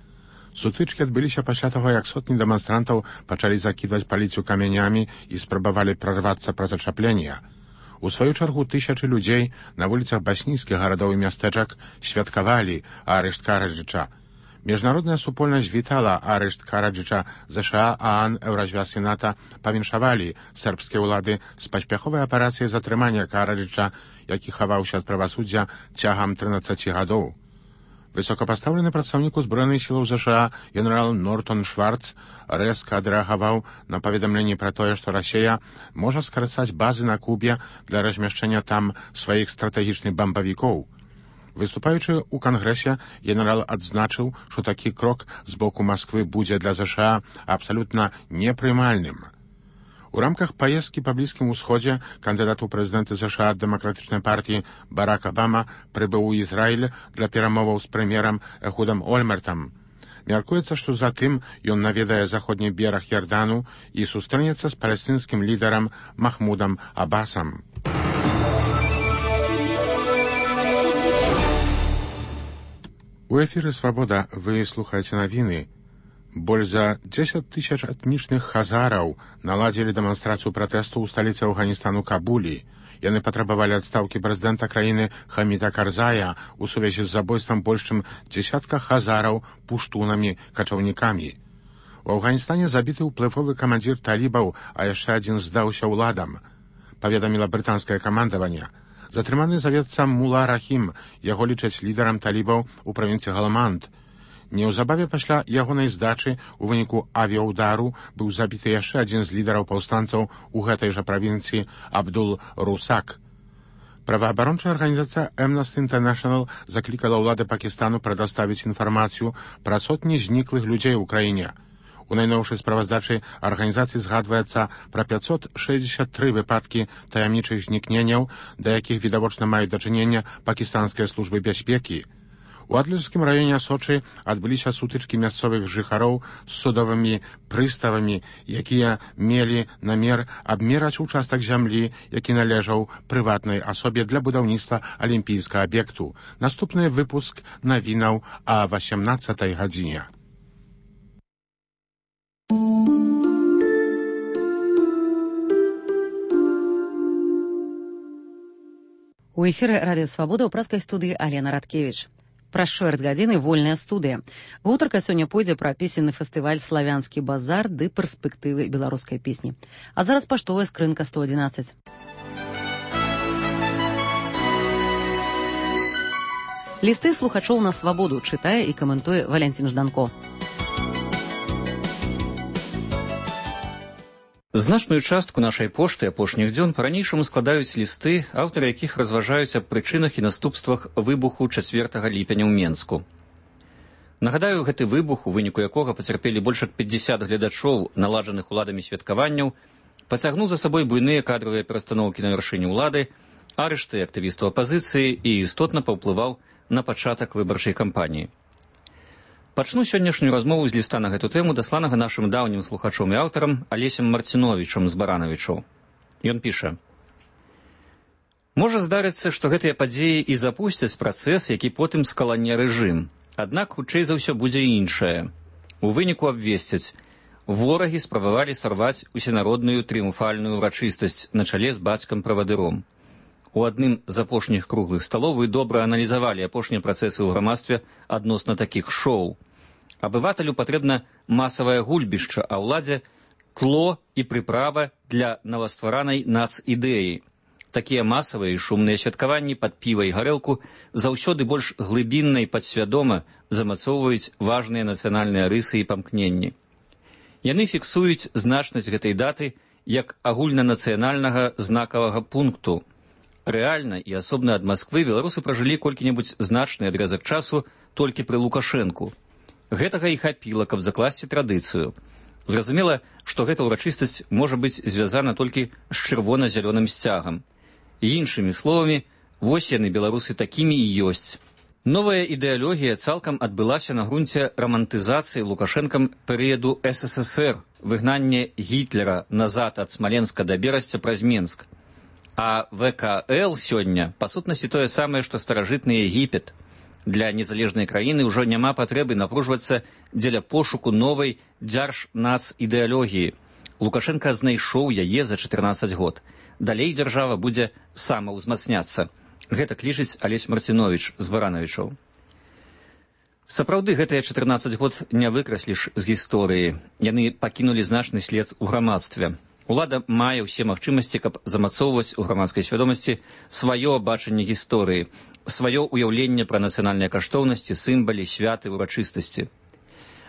Сутычкі адбыліся пасля таго, як сотні дэманстрантаў пачалі закідваць паліцыю камянямі і спрабавалі прарвацца праз ачапленне. У сваю чаргу тысячы людзей на вуліцах баснійскіх гарадоў і мястэчак святкавалі арышт Караджыча. Міжнародная супольнасць вітала арышт Караджыча, ЗША, ААН, Еўразвяз і НАТО павіншавалі сербскія ўлады з паспяховай аперацыяй затрымання Караджыча, які хаваўся ад правасуддзя цягам трынаццаці гадоў. Высокапастаўлены прадстаўнік узброеных сілаў ЗША генерал Нортон Шварц рэзка адрэагаваў на паведамленні пра тое, што Расія можа скарацаць базы на Кубе для размяшчэння там сваіх стратэгічных бамбавікоў. Выступаючы ў кангрэсе, генерал адзначыў, што такі крок з боку Масквы будзе для ЗША абсалютна непрымальным. У рамках паездкі па Блізкім Усходзе кандыдат у прэзідэнты ЗША ад дэмакратычнай партіі Барак Абама прыбыў у Ізраіль для перамоваў з прэм'ерам Эхудам Ольмертам. Мяркуецца, што затым ён наведае заходні бераг Ярдану і сустрэнецца з палестынскім лідарам Махмудам Абасам. У эфіры «Свабода» вы слухаеце навіны. Больш за дзесяць тысяч этнічных хазараў наладзілі дэманстрацыю пратэсту ў сталіцы Афганістану Кабулі. Яны патрабавалі адстаўкі прэзідэнта краіны Хаміда Карзая у сувязі з забойствам больш чым дзесятка хазараў пуштунамі качаўнікамі. У Афганістане забіты ўплывовы камандзір талібаў, а яшчэ адзін здаўся ўладам, паведаміла брытанскае камандаванне. Затрыманы завецца Мула Рахім, яго лічаць лідарам талібаў у правінцыі Галаманд. Неўзабаве пасля ягонай здачы ў выніку авіяўдару быў забіты яшчэ адзін з лідараў паўстанцаў у гэтай жа правінцыі Абдул Русак. Праваабарончая арганізацыя Amnesty International заклікала ўлады Пакістану прадаставіць інфармацыю пра сотні зніклых людзей у краіне. У найноўшай справаздачы арганізацыі згадваецца пра пяцьсот шэсцьдзесят тры выпадкі таямнічых знікненняў, да якіх відавочна маюць дачыненне пакістанскія службы бяспекі. У Адлерскім раёне Сочы адбыліся сутычкі мясцовых жыхароў з судовымі прыставамі, якія мелі намер абмераць участак зямлі, які належаў прыватнай асобе для будаўніцтва алімпійскага аб'екту. Наступны выпуск навінаў а васемнаццатай гадзіне. У эфіры радыё «Свабода» ў праскай студыі Алена Радкевіч. Праз чвэрць гадзіны вольная студыя. Гутарка сёння пойдзе пра песенны фестываль «Славянскі базар» ды перспектывы беларускай песні. А зараз паштовая скрынка сто адзінаццаць. Лісты слухачоў на «Свабоду» чытае і каментуе Валянцін Жданко. Значную частку нашай пошты апошніх дзён па-ранейшаму складаюць лісты, аўтары якіх разважаюць аб прычынах і наступствах выбуху чацвёртага ліпеня ў Менску. Нагадаю, гэты выбух, у выніку якога пацярпелі больш як пятьдесят гледачоў наладжаных уладамі святкаванняў, пацягнуў за сабой буйныя кадравыя перастаноўкі на вяршыні ўлады, арышты актывістаў апазіцыі і істотна паўплываў на пачатак выбарчай кампаніі. Пачну сённяшнюю размову з ліста на гэту тэму, дасланага нашым даўнім слухачом і аўтарам Алесем Марціновічам з Баранавічаў. Ён піша: «Можа здарыцца, што гэтыя падзеі і запусцяць працэс, які потым скалане рэжым. Аднак, хутчэй за ўсё будзе іншае. У выніку абвесцяць: ворагі спрабавалі сарваць усенародную трыумфальную ўрачыстасць на чале з бацькам-правадыром. У адным з апошніх круглых сталоў вы добра аналізавалі апошнія працэсы ў грамадстве адносна такіх шоу. Абывателю патрэбна масавае гульбішча, а ўладзе тло і прыправа для новастваранай нацыдэі. Такія масавыя і шумныя святкаванні пад піва і гарэлку заўсёды больш глыбінна і падсвядома замацоўваюць важныя нацыянальныя рысы і памкненні. Яны фіксуюць значнасць гэтай даты як агульнанацыянальнага знакавага пункту. Рэальна і асобна ад Масквы беларусы пражылі колькі-небудзь значны адрэзак часу толькі пры Лукашэнку. Гэтага і хапіла, каб закласці традыцыю. Зразумела, што гэта ўрачыстасць можа быць звязана толькі з чырвона-зялёным сцягам. І іншымі словамі, вось яны, беларусы, такімі і ёсць. Новая ідэалогія цалкам адбылася на грунце рамантызацыі Лукашэнкам перыяду эс эс эс эр, выгнання Гітлера назад ад Смаленска да Берасця праз Менск. А вэ ка эл сёння, па сутнасці, тое самае, што старажытны Егіпет. Для незалежнай краіны ўжо няма патрэбы напружвацца дзеля пошуку новай дзярж-нац-ідэалогіі. Лукашенка знайшоў яе за чатырнаццаць год. Далей дзяржава будзе самаўзмацняцца. Гэта лічыць Алесь Марціновіч з Баранавічаў. Сапраўды, гэтыя чатырнаццаць год не выкрасліш з гісторыі. Яны пакінулі значны след у грамадстве. Улада мае ўсе магчымасці, каб замацоўваць у грамадскай свядомасці сваё бачанне гісторыі, сваё ўяўленне пра нацыянальныя каштоўнасці, сімвалы, святы, урачыстасці.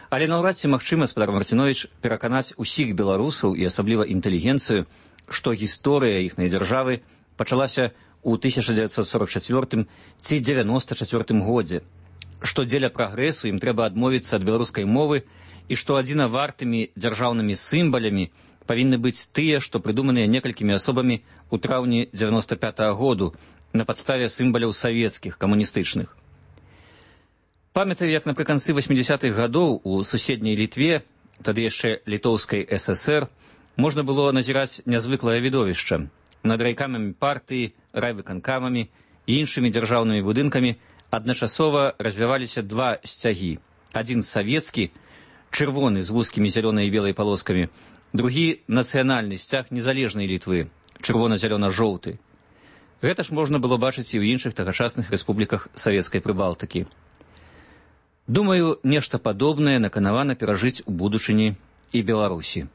Але наўрад ці магчыма, спадар Марціновіч, пераканаць усіх беларусаў і асабліва інтэлігенцыю, што гісторыя іхнай дзяржавы пачалася ў тысяча дзевяцьсот сорак чацвёртым ці дзевяноста чацвёртым годзе, што дзеля прагрэсу ім трэба адмовіцца ад беларускай мовы і што адзінавартымі дзяржаўнымі сімвалямі павінны быць тыя, што прыдуманыя некалькімі асобамі ў траўні дзевяноста пятага году на падставе сімваляў савецкіх, камуністычных. Памятаю, як напрыканцы васьмідзясятых гадоў у суседняй Літве, тады яшчэ літоўскай эс эс эр, можна было назіраць нязвыклае відовішча. Над райкамамі партыі, райвыканкамамі і іншымі дзяржаўнымі будынкамі адначасова развіваліся два сцягі. Адзін савецкі, чырвоны з вузкімі зялёнай і белай палоскамі, другі нацыянальны сцяг незалежнай Літвы, чырвона-зялёна-жоўты. Гэта ж можна было бачыць і ў іншых тагачасных рэспубліках савецкай Прыбалтыкі. Думаю, нешта падобнае наканавана перажыць у будучыні і Беларусі.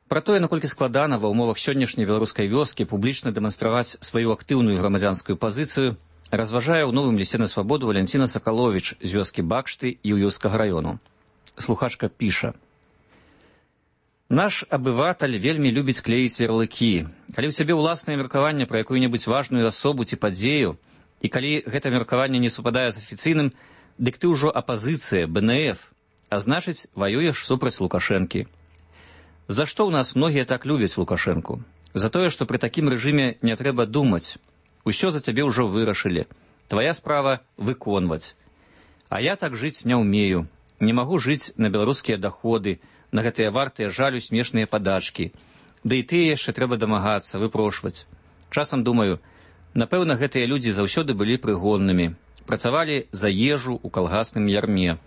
Пра тое, наколькі складана ва ўмовах сённяшняй беларускай вёскі публічна дэманстраваць сваю актыўную грамадзянскую пазіцыю, разважае ў новым лісце на свабоду Валянціна Сакаловіч з вёскі Бакшты Юўёўскага раёну. Слухачка піша: «Наш абыватель вельмі любіць клеіць ярлыкі. Калі ў сябе ўласнае меркаванне пра якую-небудзь важную асобу ці падзею, і калі гэта меркаванне не супадае з афіцыйным, дык ты ўжо апазіцыя, бэ эн эф, а значыць, ваюеш супраць Лукашэнкі. За што ў нас многія так любяць Лукашэнку? За тое, што пры такім рэжыме не трэба думаць. Усё за цябе ўжо вырашылі. Твая справа выконваць. А я так жыць не ўмею. Не магу жыць на беларускія даходы, на гэтыя вартыя жалю смешныя падачкі. Да і тыя яшчэ трэба дамагацца, выпрошваць. Часам думаю, напэўна, гэтыя людзі заўсёды былі прыгоннымі. Працавалі за ежу ў калгасным ярме.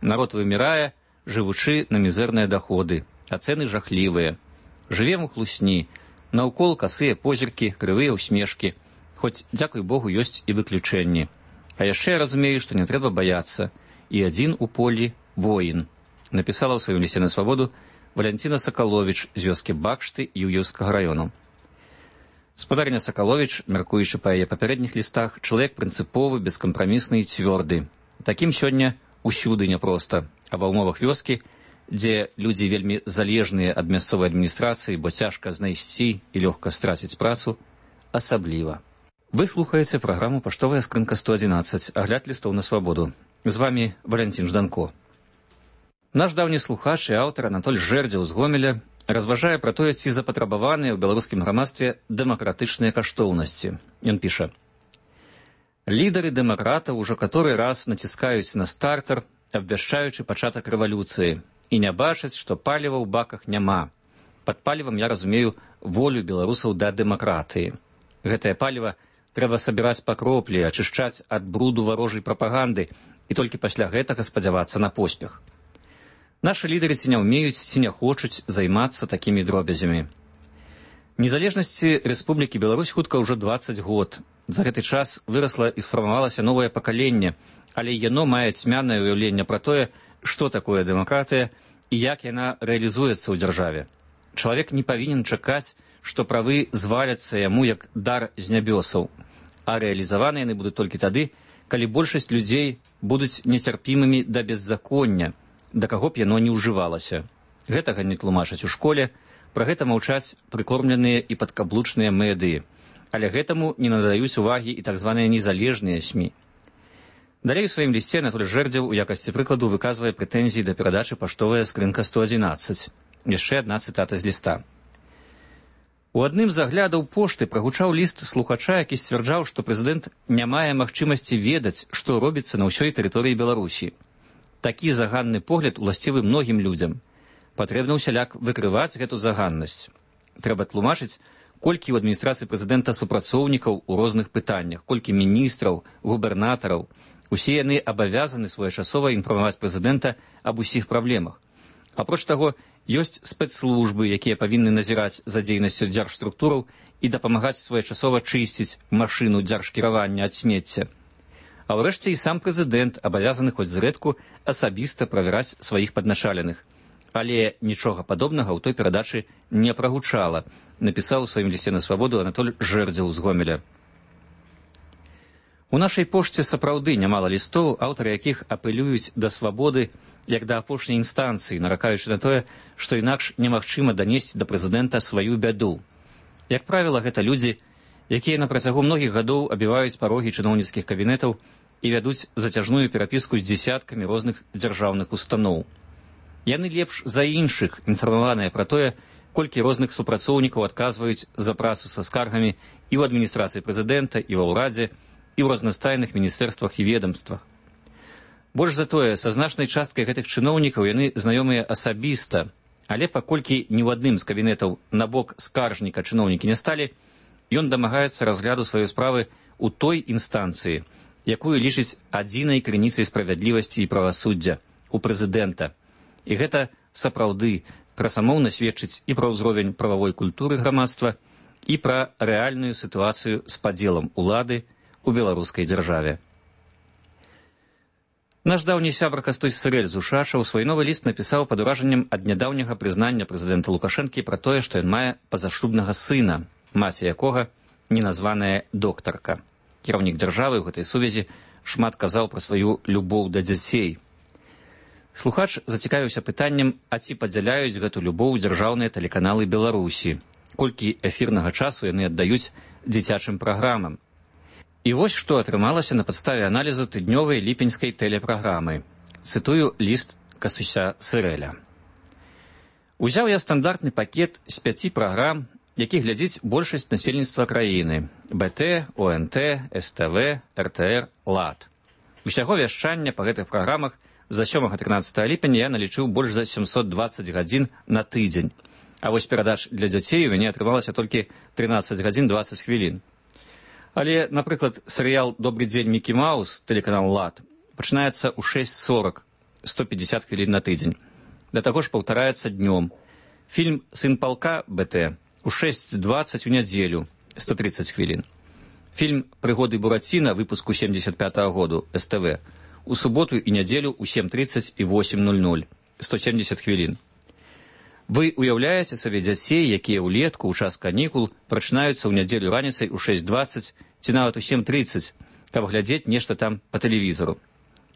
Народ вымірае, жывучы на мізэрныя даходы. А цэны жахлівыя. Жывем у хлусні. Наўкол касыя позіркі, крывыя ўсмешкі. Хоць, дзякуй Богу, ёсць і выключэнні. А яшчэ я разумею, што не трэба баяцца. І адзін у полі воін. Напісала ў сваім лісце на свабоду Валянціна Сакаловіч з вёскі Бакшты Юўёўскага раёну. Спадарня Сакаловіч, мяркуючы па яе папярэдніх лістах, чалавек прынцыповы, бескампрамісны і цвёрды. Такім сёння усюды няпроста, а ва ўмовах вёскі, дзе людзі вельмі залежныя ад мясцовай адміністрацыі, бо цяжка знайсці і лёгка страціць працу, асабліва. Вы слухаеце праграму «Паштовая скрынка сто адзінаццаць», агляд лістоў на свабоду. З вамі Валянцін Жданко. Наш даўні слухач і аўтар Анатоль Жэрдзеў з Гомеля разважае пра тое, ці запатрабаваныя ў беларускім грамадстве дэмакратычныя каштоўнасці. Ён піша: «Лідары дэмакратаў ужо каторы раз націскаюць на стартер, абвяшчаючы пачатак рэвалюцыі, і не бачаць, што паліва ў баках няма. Пад палівам я разумею волю беларусаў да дэмакратыі. Гэтае паліва трэба сабіраць па кроплі, ачышчаць ад бруду варожай прапаганды і толькі пасля гэтага спадзявацца на поспех. Нашы лідары ці не ўмеюць, ці не хочуць займацца такімі дробязямі. Незалежнасці Рэспублікі Беларусь хутка ўжо дваццаць год. За гэты час вырасла і сфармавалася новае пакаленне, але яно мае цьмянае ўяўленне пра тое, што такое дэмакратыя і як яна рэалізуецца ў дзяржаве. Чалавек не павінен чакаць, што правы зваляцца яму як дар з нябёсаў, а рэалізаваны яны будуць толькі тады, калі большасць людзей будуць нецярпімымі да беззаконня, да каго б яно не ўжывалася. Гэтага не тлумачаць у школе, пра гэта маўчаць прыкормленыя і падкаблучныя медыі, але гэтаму не надаюць увагі і так званыя незалежныя СМІ. Далей у сваім лісце Анатоль Жэрдзеў у якасці прыкладу выказвае прэтэнзіі да перадачы паштовая скрынка сто адзінаццаць. Яшчэ адна цытата з ліста. У адным з аглядаў пошты прагучаў ліст слухача, які сцвярджаў, што прэзідэнт не мае магчымасці ведаць, што робіцца на ўсёй тэрыторыі Беларусі. Такі заганны погляд уласцівы многім людзям. Патрэбна ўсяляк выкрываць гэту заганнасць. Трэба тлумачыць, колькі ў адміністрацыі прэзідэнта супрацоўнікаў у розных пытаннях, колькі міністраў, губернатараў. Усе яны абавязаны своечасова інфармаваць прэзідэнта аб усіх праблемах. Апроч таго, ёсць спецслужбы, якія павінны назіраць за дзейнасцю дзяржструктураў і дапамагаць своечасова чысціць машыну дзяржкіравання ад смецця. А ўрэшце і сам прэзідэнт абавязаны хоць зрэдку асабіста правяраць сваіх падначаленых. Але нічога падобнага ў той перадачы не прагучала, напісаў у сваім лісце на свабоду Анатоль Жэрдзеў з Гомеля. У нашай пошце сапраўды нямала лістоў, аўтары якіх апелююць да свабоды як да апошняй інстанцыі, наракаючы на тое, што інакш немагчыма данесці да прэзідэнта сваю бяду. Як правіла, гэта людзі, якія на працягу многіх гадоў абіваюць парогі чыноўніцкіх кабінетаў і вядуць зацяжную перапіску з дзесяткамі розных дзяржаўных устаноў. Яны лепш за іншых інфармаваныя пра тое, колькі розных супрацоўнікаў адказваюць за працу са скаргамі і ў адміністрацыі прэзідэнта, і ва ўрадзе, і ў разнастайных міністэрствах і ведамствах. Больш за тое, са значнай часткай гэтых чыноўнікаў яны знаёмыя асабіста, але паколькі ні ў адным з кабінетаў на бок скаржніка чыноўнікі не сталі, ён дамагаецца разгляду сваёй справы ў той інстанцыі, якую лічыць адзінай крыніцай справядлівасці і правасуддзя, у прэзідэнта. І гэта сапраўды красамоўна сведчыць і пра ўзровень прававой культуры грамадства, і пра рэальную сітуацыю з падзелам улады у беларускай дзяржаве. Наш даўні сябра Кастусь Сырэль з Ушача ў свой новы ліст напісаў пад уражаннем ад нядаўняга прызнання прэзідэнта Лукашэнкі пра тое, што ён мае пазашлюбнага сына, маці якога неназваная доктарка. Кіраўнік дзяржавы ў гэтай сувязі шмат казаў пра сваю любоў да дзяцей. Слухач зацікавіўся пытаннем, а ці падзяляюць гэту любоў дзяржаўныя тэлеканалы Беларусі, колькі эфірнага часу яны аддаюць дзіцячым праграмам. І вось што атрымалася на падставе аналізу тыднёвай ліпеньскай тэлепраграмы. Цытую ліст Кастуся Сырэля. Узяў я стандартны пакет з пяці праграм, які глядзіць большасць насельніцтва краіны – бэ тэ, о эн тэ, эс тэ вэ, эр тэ эр, лад. Усяго вяшчання па гэтых праграмах за сёмага-трынаццатага ліпеня я налічыў больш за сямсот дваццаць гадзін на тыдзень. А вось перадач для дзяцей у мяне атрымалася толькі трынаццаць гадзін дваццаць хвілін. Але, напрыклад, серыял «Добрый дзень, Мікі Маус», тэлеканал лад, пачынаецца ў шэсць сорак, сто пятьдесят хвілін на тыдзень. Да таго ж паўтараецца днём. Фільм «Сын палка» бэ тэ у шэсць дваццаць у нядзелю, сто тридцать хвілін. Фільм «Прыгоды Бураціна» выпуску семьдесят пятого году, эс тэ вэ, у суботу і нядзелю у сем тридцать і восемь ноль ноль, сто семьдесят хвілін. Вы уяўляеце сабе дзяцей, якія ўлетку ў час канікул прачынаюцца ў нядзелю раніцай у шэсць дваццаць ці нават у сем тридцать, каб глядзець нешта там па тэлевізору.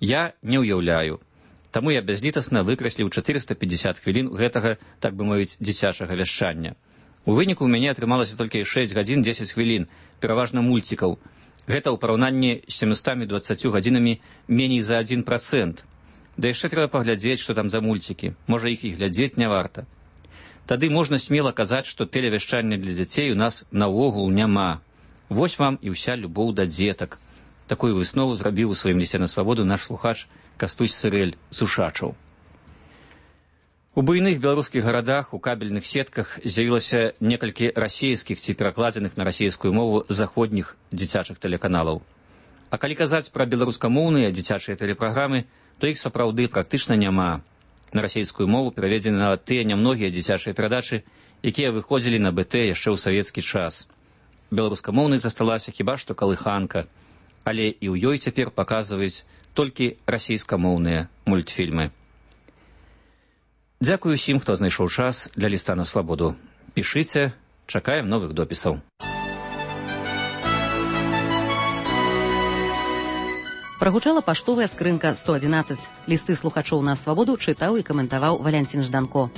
Я не ўяўляю. Таму я бязлітасна выкрасліў четыреста пятьдесят хвілін гэтага, так бы мовіць, дзіцячага вяшчання. У выніку ў мяне атрымалася толькі шэсць гадзін дзесяць хвілін, пераважна мульцікаў. Гэта ў параўнанні з семістамі дваццаццю гадзінамі меней за адзін працэнт. Да яшчэ трэба паглядзець, што там за мульцікі. Можа, іх і глядзець не варта. Тады можна смела казаць, што тэлевяшчання для дзяцей у нас наогул няма. Вось вам і ўся любоў да дзетак. Такую выснову зрабіў у сваім лісце на свабоду наш слухач Кастусь Сырэль з Ушачаў. У буйных беларускіх гарадах у кабельных сетках з'явілася некалькі расійскіх ці перакладзеных на расійскую мову заходніх дзіцячых тэлеканалаў. А калі казаць пра беларускамоўныя дзіцячыя тэлепраграмы, то іх сапраўды практычна няма. На расійскую мову пераведзены на тыя нямногія дзіцячыя перадачы, якія выходзілі на бэ тэ яшчэ ў савецкі час. Беларускамоўнай засталася хіба што калыханка, але і ў ёй цяпер паказваюць толькі расійскамоўныя мультфільмы. Дзякую усім, хто знайшоў час для ліста на свабоду. Пішыце, чакаем новых допісаў. Прагучала паштовая скрынка сто адзінаццаць. Лісты слухачоў на свабоду чытаў і каментаваў Валянцін Жданко.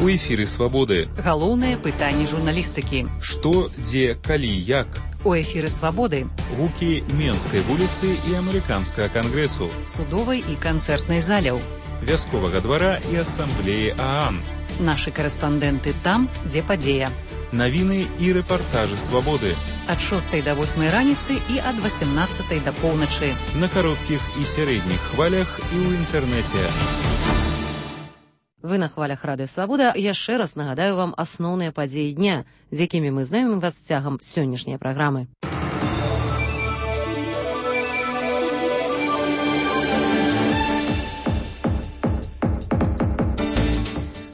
У эфіры свабоды. Галоўнае пытанне журналістыкі. Што, дзе, калі, як? У эфіры свабоды. Гукі Менскай вуліцы і амерыканскага кангрэсу. Судовай і канцэртнай заляў. Вясковага двара і асамблеі ААН. Нашы карэспандэнты там, дзе падзея. Навіны і рэпартажы свабоды. Ад шостай да восьмай раніцы і ад васямнаццатай да поўначы. На кароткіх і сярэдніх хвалях і ў інтэрнэце. Вы на хвалях Радыё Свабода. Яшчэ раз нагадаю вам асноўныя падзеі дня, з якімі мы знаёмім вас цягам сённяшняй праграмы.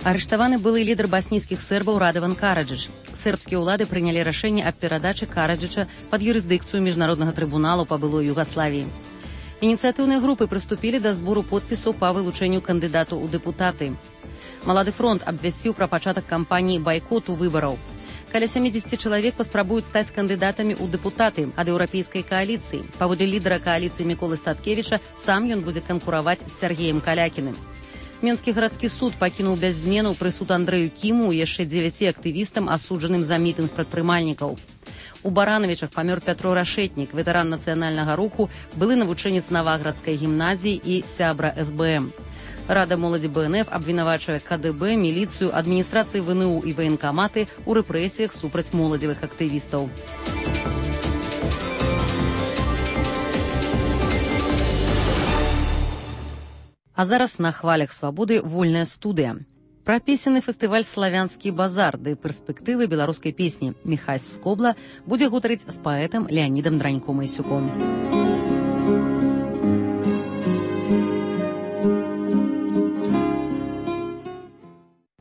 Арыштаваны былы лідар баснійскіх сербаў Радаван Караджыч. Сербскія ўлады прынялі рашэнне аб перадачы Караджыча пад юрысдыкцыю міжнароднага трыбуналу па былой Югаславіі. Ініцыятыўныя групы прыступілі да збору подпісаў па вылучэнню кандыдату ў дэпутаты. Малады фронт абвясціў пра пачатак кампаніі байкоту выбараў. Каля сямдзесят чалавек паспрабуюць стаць кандыдатамі ў дэпутаты ад еўрапейскай кааліцыі. Паводле лідара кааліцыі Міколы Статкевіча, сам ён будзе канкураваць з Сергеем Калякіным. Менскі гарадскі суд пакінуў без зменаў прысуд Андрэю Кіму і яшчэ дзевяці актывістам, асуджаным за мітынг прадпрымальнікаў. У Баранавічах памёр Пятро Рашэтнік, ветэран нацыянальнага руху, былы навучэнец Наваградскай гімназіі і сябра эс бэ эм. Рада моладзі бэ эн эф абвінавачвае ка дэ бэ, міліцыю, адміністрацыі вэ эн у і ваенкаматы ў рэпрэсіях супраць моладзевых актывістаў. А зараз на хвалях свабоды вольная студыя. Пра песенны фестываль «Славянскі базар» ды перспектывы беларускай песні Міхась Скобла будзе гутарыць з паэтам Леанідам Драньком-Ісюком.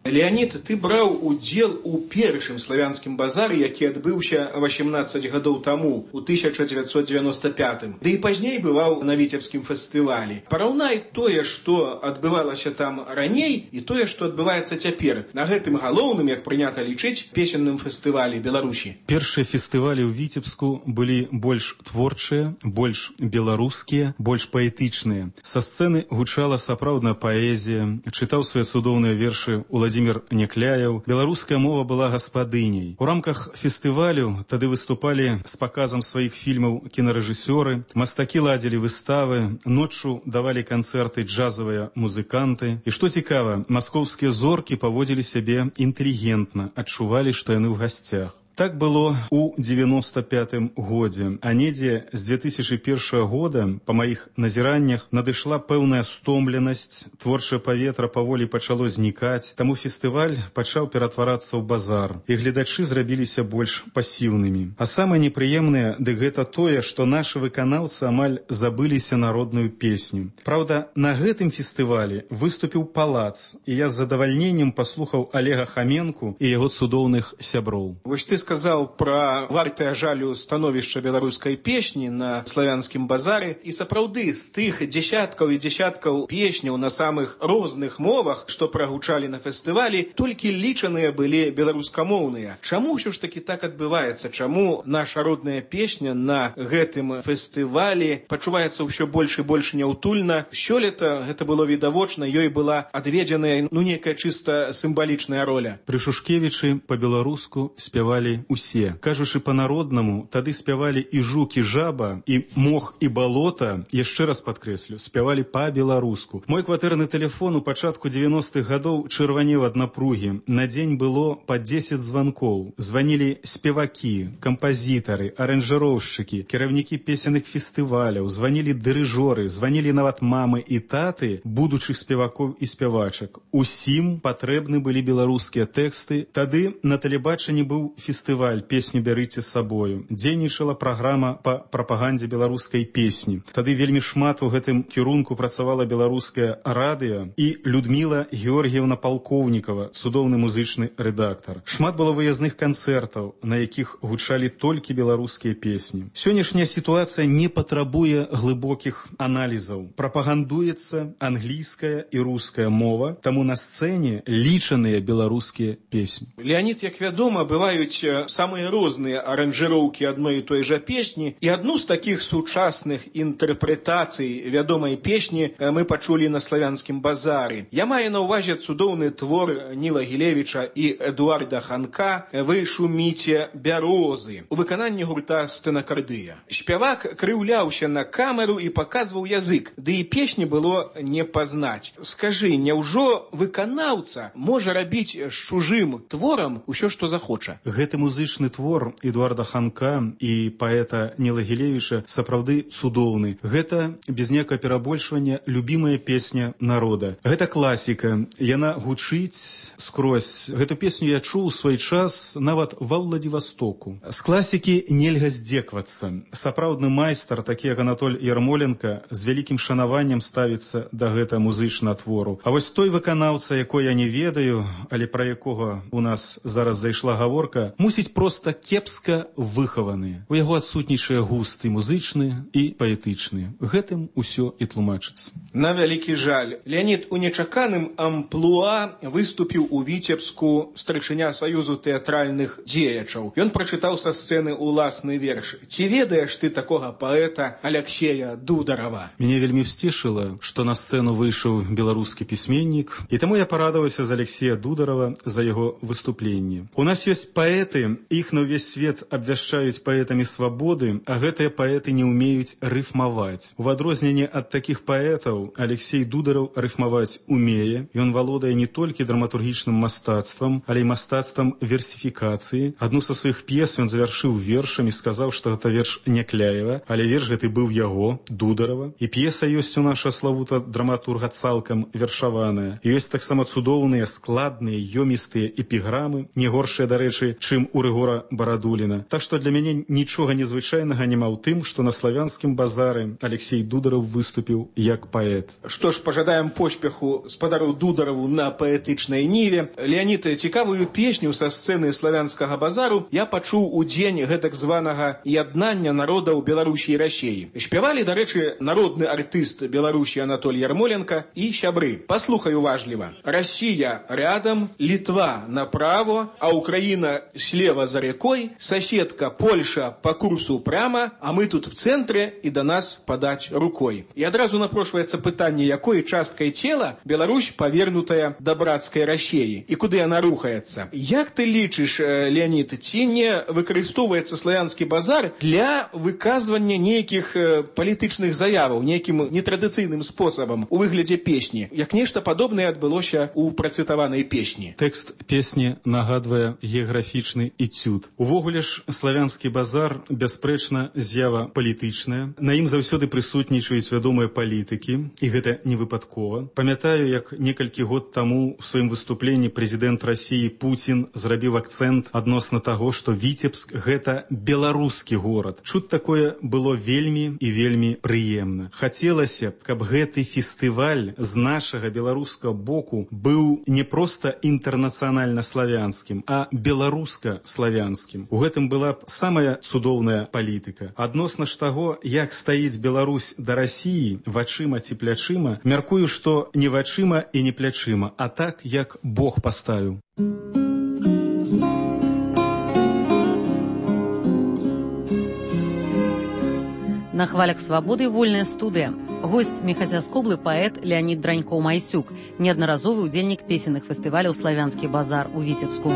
Леонид, ты браў удзел у першым славянскім базары, які адбыўся васемнаццаць гадоў таму, у тысяча дзевяцьсот девяносто пятым. Ды і пазней бываў на Віцебскім фестывалі. Параўнай тое, што адбывалася там раней, і тое, што адбываецца цяпер, на гэтым галоўным, як прынята лічыць, песенным фестывалі Беларусі. Першыя фестывалі ў Віцебску былі больш творчыя, больш беларускія, больш паэтычныя. Са сцэны гучала сапраўдная паэзія, чытаў свае цудоўныя вершы Уладзімір Някляеў. Беларуская мова была гаспадыняй. У рамках фестывалю тады выступалі з паказам сваіх фільмаў кінарэжысёры, мастакі ладзілі выставы, ноччу давалі канцэрты джазавыя музыканты. І што цікава, маскоўскія зоркі паводзілі сябе інтэлігентна, адчувалі, што яны ў гасцях. Так было у девяносто пятым годзе, а недзе з две тысячи першага года, па маіх назіраннях, надышла пэўная стомленасць, творчае паветра паволі пачало знікаць, таму фестываль пачаў ператварацца ў базар, і гледачы зрабіліся больш пасіўнымі. А самае непрыемнае, дык гэта тое, што нашы выканаўцы амаль забыліся народную песню. Праўда, на гэтым фестывалі выступіў Палац, і я з задавальненнем паслухаў Олега Хаменку і яго цудоўных сяброў. Вось ты сказаў пра вартае жалю становішча беларускай песні на славянскім базары, і сапраўды з тых дзесяткаў і дзесяткаў песняў на самых розных мовах, што прагучалі на фестывалі, толькі лічаныя былі беларускамоўныя. Чаму ўсё ж такі так адбываецца? Чаму наша родная песня на гэтым фестывалі пачуваецца ўсё больш і больш няўтульна? Сёлета гэта было відавочна, ёй была адведзеная ну нейкая чыста сімвалічная роля. Пры Шушкевічы па-беларуску спявалі спявалі усе. Кажучы па-народнаму, тады спявалі і жук, і жаба, і мох, і балота, яшчэ раз падкрэслю, спявалі па-беларуску. Мой кватэрны тэлефон у пачатку дзевяностых гадоў чырванеў ад напругі. На дзень было па дзесяць званкоў. Званілі спевакі, кампазітары, аранжыроўшчыкі, кіраўнікі песенных фестываляў, званілі дырыжоры, званілі нават мамы і таты будучых спевакоў і спявачак. Усім патрэбны былі беларускія тэксты. Тады на тэлебачанні быў фестываль «Песню бярыце з сабою». Дзейнічала праграма па прапагандзе беларускай песні. Тады вельмі шмат у гэтым кірунку працавала беларускае радыё і Людміла Георгіевна Палкоўнікава, цудоўны музычны рэдактар. Шмат было выязных канцэртаў, на якіх гучалі толькі беларускія песні. Сённяшняя сітуацыя не патрабуе глыбокіх аналізаў. Прапагандуецца англійская і руская мова, таму на сцэне лічаныя беларускія песні. Леонид, як вядома, бываюць самыя розныя аранжыроўкі адной і той жа песні, і адну з такіх сучасных інтэрпрэтацый вядомай песні мы пачулі на славянскім базары. Я маю на ўвазе цудоўны твор Ніла Гілевіча і Эдуарда Ханка «Вы шуміце бярозы» у выкананні гурта «Стэнакардыя». Спявак крыўляўся на камеру і паказваў язык, ды і песні было не пазнаць. Скажы, няўжо выканаўца можа рабіць з чужым творам усё, што захоча? Гэты музычны твор Эдуарда Ханка і паэта Ніла Гілевіча сапраўды цудоўны. Гэта, без некага перабольшвання, любімая песня народа. Гэта класіка. Яна гучыць скрозь. Гэту песню я чуў у свой час нават ва Владивостоку. З класікі нельга здзеквацца. Сапраўдны майстар, такі як Анатоль Ярмоленко, з вялікім шанаваннем ставіцца да гэта музычнага твору. А вось той выканаўца, якой я не ведаю, але пра якога у нас зараз зайшла гаворка, мусіць проста кепска выхаваны. У яго адсутнічае густ і музычны, і паэтычны. Гэтым усё і тлумачыцца. На вялікі жаль. Леонид у нечаканым амплуа выступіў у Віцебску старшыня Саюзу тэатральных дзеячаў. Ён прачытаў са сцэны уласны верш. Ці ведаеш ты такога паэта Алексея Дударова? Мяне вельмі ўсцешыла, што на сцэну выйшаў беларускі пісьменнік, і таму я парадаваўся за Алексея Дударова за яго выступленне. У нас ёсць паэты, іх на ўвесь свет абвяшчаюць паэтамі свабоды, а гэтыя паэты не ўмеюць рыфмаваць. У адрозненне ад такіх паэтаў Алексей Дударов рыфмаваць умее. Ён валодае не толькі драматургічным мастацтвам, але і мастацтвам версіфікацыі. Адну са сваіх п'ес ён завяршыў вершам і сказаў, што гэта верш Някляева, але верш гэты быў яго, Дударова. І п'еса ёсць у наша славута драматурга цалкам вершаваная. І ёсць таксама цудоўныя, складныя, ёмістыя эпіграмы, не горшыя, дарэчы, чым у Рыгора Барадуліна. Так што для мяне нічога незвычайнага няма ў тым, што на славянскім базары Алексей Дударов выступіў як паэт. Што ж, пажадаем поспеху спадару Дударову на паэтычнай ніве. Леонид, цікавую песню са сцэны славянскага базару я пачуў у дзень гэтак званага яднання народаў Беларусі і Расіі. Спявалі, дарэчы, народны артыст Беларусі Анатоль Ярмоленко і сябры. Паслухай уважліва. Россия рядом, Литва направо, а Украина слева за рекой, соседка Польша по курсу прямо, а мы тут в центре и до нас подать рукой. И одразу напрошваецца пытанне, якой часткай цела Беларусь павернутая да братскай Расіі і куды яна рухаецца. Як ты лічыш, Леонид, ці не выкарыстоўваецца славянскі базар для выказвання нейкіх палітычных заяваў, нейкім нетрадыцыйным спосабам у выглядзе песні, як нешта падобнае адбылося у працытаванай песні? Тэкст песні нагадвае геаграфічны эцюд. Увогуле ж славянскі базар бясспрэчна з'ява палітычная. На ім заўсёды прысутнічаюць вядомыя палітыкі, і гэта не выпадкова. Памятаю, як некалькі год таму у сваім выступленні прэзідэнт Расіі Пуцін зрабіў акцэнт адносна таго, што Віцебск – гэта беларускі горад. Чуць такое было вельмі і вельмі прыемна. Хацелася б, каб гэты фестываль з нашага беларускага боку быў не проста інтэрнацыянальна-славянскім, а беларуска-славянскім. У гэтым была б самая цудоўная палітыка. Адносна ж таго, як стаіць Беларусь да Расіі, вачыма ці плячыма, мяркую, што не вачыма і не плячыма, а так, як Бог паставіў. На хвалях свабоды вольная студыя. Гость Мехасяскоблы паэт Леонид Дранькоў-Майсюк, неаднаразовы удзельнік песенных фестываляў «Славянскі базар» у Віцебску.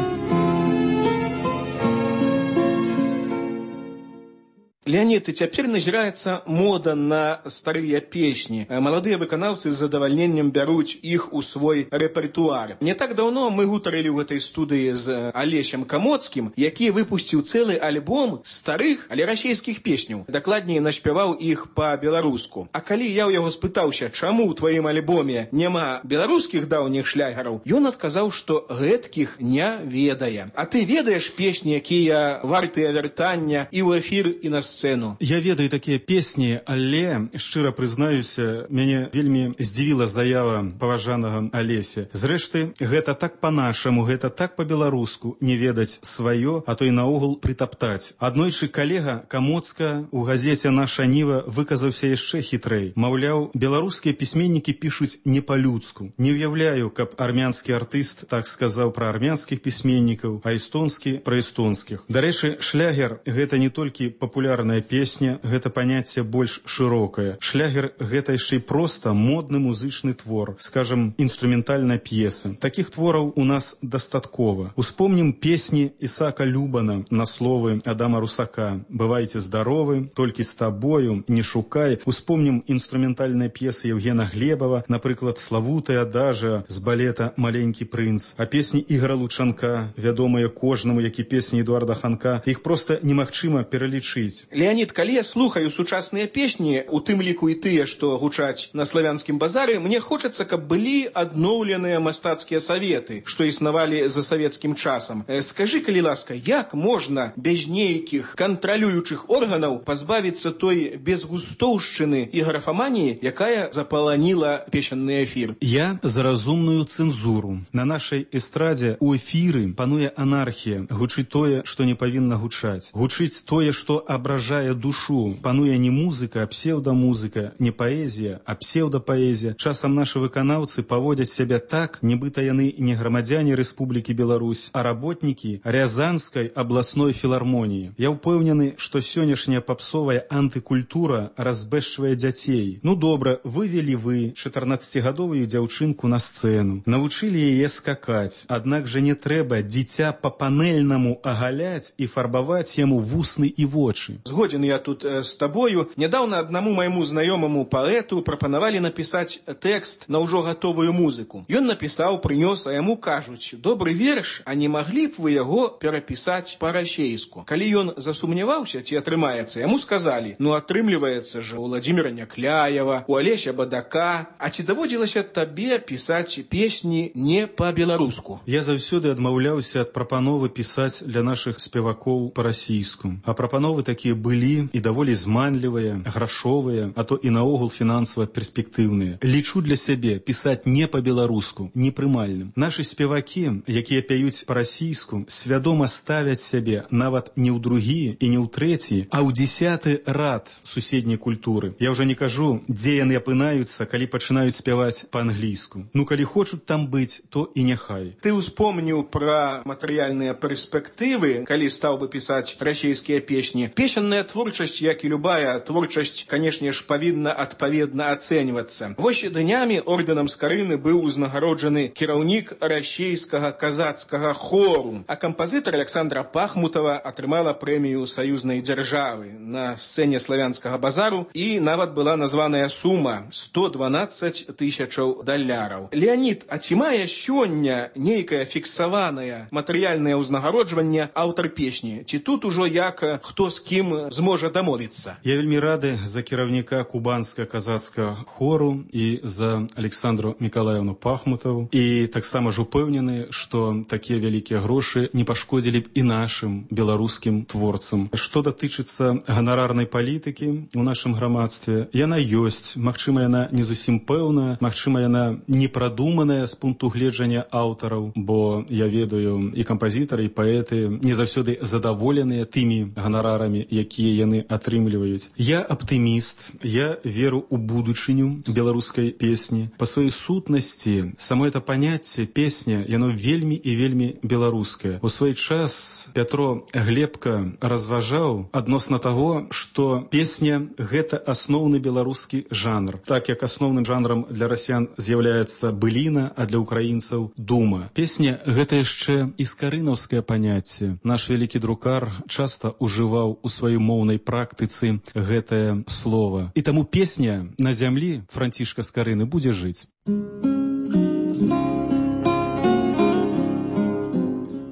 Леонид, и цяпер назіраецца мода на старыя песні. Маладыя выканаўцы з задавальненнем бяруць іх у свой рэпертуар. Не так даўно мы гутарылі ў гэтай студыі з Алесем Камоцкім, які выпусціў цэлы альбом старых, але расійскіх песняў. Дакладней, наспяваў іх па-беларуску. А калі я ў яго спытаўся, чаму ў тваім альбоме няма беларускіх даўніх шлягераў, ён адказаў, што гэткіх не ведае. А ты ведаеш песні, якія вартыя вяртання і ў эфір, і на сцэну? Я ведаю такія песні, але, шчыра прызнаюся, мяне вельмі здзівіла заява паважанага Алеся. Зрэшты, гэта так па-нашаму, гэта так па-беларуску, не ведаць сваё, а то і наогул прытаптаць. Аднойчы калега Камоцка ў газеце «Наша Ніва» выказаўся яшчэ хітрэй. Маўляў, беларускія пісьменнікі пішуць не па-людску. Не ўяўляю, каб армянскі артыст так сказаў пра армянскіх пісьменнікаў, а эстонскі пра эстонскіх. Дарэчы, шлягер — гэта не толькі папулярная песня, гэта паняцце больш шырокае. Шлягер — гэта яшчэ і проста модны музычны твор, скажем, інструментальная п'еса. Такіх твораў у нас дастаткова. Успомнім песні Ісаака Любана на словы Адама Русака «Бывайце здаровы», «Толькі з табою», «Не шукай». Успомнім інструментальныя п'есы Евгена Глебова, напрыклад, славутая адажа з балета «Маленькі прынц», а песні Ігора Лучанка, вядомыя кожнаму, як і песні Эдуарда Ханка, іх проста немагчыма пералічыць. Леонид, калі я слухаю сучасныя песні, у тым ліку і тыя, што гучаць на славянскім базары, мне хочацца, каб былі адноўленыя мастацкія саветы, што існавалі за савецкім часам. Скажы, калі ласка, як можна без нейкіх кантралюючых органаў пазбавіцца той безгустоўшчыны і графаманіі, якая запаланіла песенны эфір? Я за разумную цэнзуру. На нашай эстрадзе у эфіры пануе анархія. Гучыць тое, што не павінна гучаць. Гучыць тое, што абражае душу. Пануе не музыка, а псеўдамузыка, не паэзія, а псеўдапаэзія. Часам нашы выканаўцы паводзяць сябе так, нібыта яны не грамадзяне Рэспублікі Беларусь, а работнікі Рязанскай абласной філармоніі. Я ўпэўнены, што сённяшняя папсовая антыкультура разбэшчвае дзяцей. Ну добра, вывелі вы чатырнаццацігадовую дзяўчынку на сцэну, навучылі яе скакаць, аднак жа не трэба дзіця па-панельнаму агаляць і фарбаваць яму вусны і вочы. Згоден я тут э, з табою. Нядаўна аднаму майму знаёмаму паэту прапанавалі напісаць тэкст на ўжо гатовую музыку. Ён напісаў, прынёс, а яму кажуць: добры верш, а не маглі б вы яго перапісаць па-расейску? Калі ён засумняваўся, ці атрымаецца, яму сказалі: ну атрымліваецца ж у Владзіміра Някляева, у Алеся Бадака, а ці даводзілася табе пісаць песні не па-беларуску? Я заўсёды адмаўляўся ад прапановы пісаць для нашых спевакоў па-расійску. А прапановы такія былі і даволі зманлівыя, грашовыя, а то і наогул фінансава перспектыўныя. Лічу для сябе пісаць не па-беларуску непрымальным. Нашы спевакі, якія пяюць па-расійску, свядома ставяць сябе нават не ў другі і не ў трэці, а ў дзесяты рад суседняй культуры. Я ўжо не кажу, дзе яны апынаюцца, калі пачынаюць спяваць па-англійску. Ну, калі хочуць там быць, то і няхай. Ты успомніў пра матэрыяльныя перспектывы, калі стаў бы пісаць расійскія песні. Песенная творчасць, як і любая творчасць, канешне ж, павінна адпаведна ацэньвацца. Вось днямі ордэнам Скарыны быў узнагароджаны кіраўнік расійскага казацкага хору, а кампазітар Александра Пахмутова атрымала прэмію саюзнай дзяржавы на сцэне славянскага базару, і нават была названая сума сто дванаццаць тысячаў даляраў. Леонид, а ці мае сёння нейкае фіксаванае матэрыяльнае ўзнагароджванне аўтар песні? Ці тут ужо як хто з кім зможа дамовіцца? Я вельмі рады за кіраўніка кубанскага казацкага хору і за Александру Мікалаевну Пахмутову. І таксама ж упэўнены, што такія вялікія грошы не пашкодзілі б і нашым беларускім творцам. Што датычыцца ганарарнай палітыкі ў нашым грамадстве, яна ёсць. Магчыма, яна не зусім пэўная, магчыма, яна не прадуманая з пункту гледжання аўтараў, бо я ведаю, і кампазітары, і паэты не заўсёды задаволеныя тымі ганарарамі, якія яны атрымліваюць. Я аптыміст, я веру ў будучыню беларускай песні. Па сваёй сутнасці, само это паняцце песня, яно вельмі і вельмі беларускае. У свой час Пятро Глебка разважаў адносна таго, што песня — гэта асноўны беларускі жанр. Так як асноўным жанрам для расіян з'яўляецца быліна, а для украінцаў — дума. Песня — гэта яшчэ і скарынаўскае паняцце. Наш вялікі друкар часта ўжываў у сваёй моўнай практыцы гэтае слова. І таму песня «На зямлі» Францішка Скарыны будзе жыць.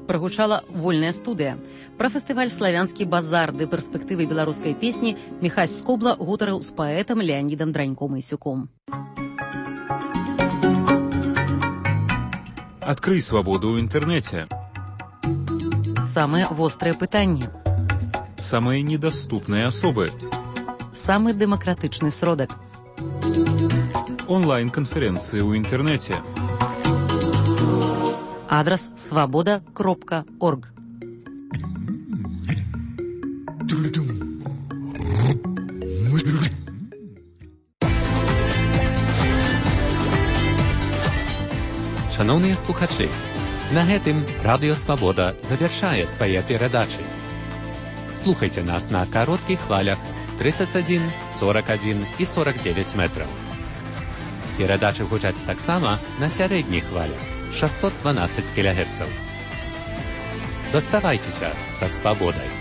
Прагучала вольная студыя. Пра фестываль «Славянскі базар» ды перспектывы беларускай песні Міхась Скобла гутарыў з паэтам Леанідам Драньком-Ісюком. Адкрый свабоду ў інтэрнэце. Самыя вострыя пытанні. Самыя недаступныя асобы. Самы дэмакратычны сродак. Онлайн-канферэнцыі ў інтэрнэце. Адрас свабода кропка орг. Шановныя слухачы, на гэтым Радыё Свабода завяршае свае перадачы. Слухайце нас на кароткіх хвалях тридцать один, сорок один і сорок девять метраў. Перадачы гучаць таксама на сярэдніх хвалях шестьсот двенадцать кілогерцаў. Заставайцеся са свабодай.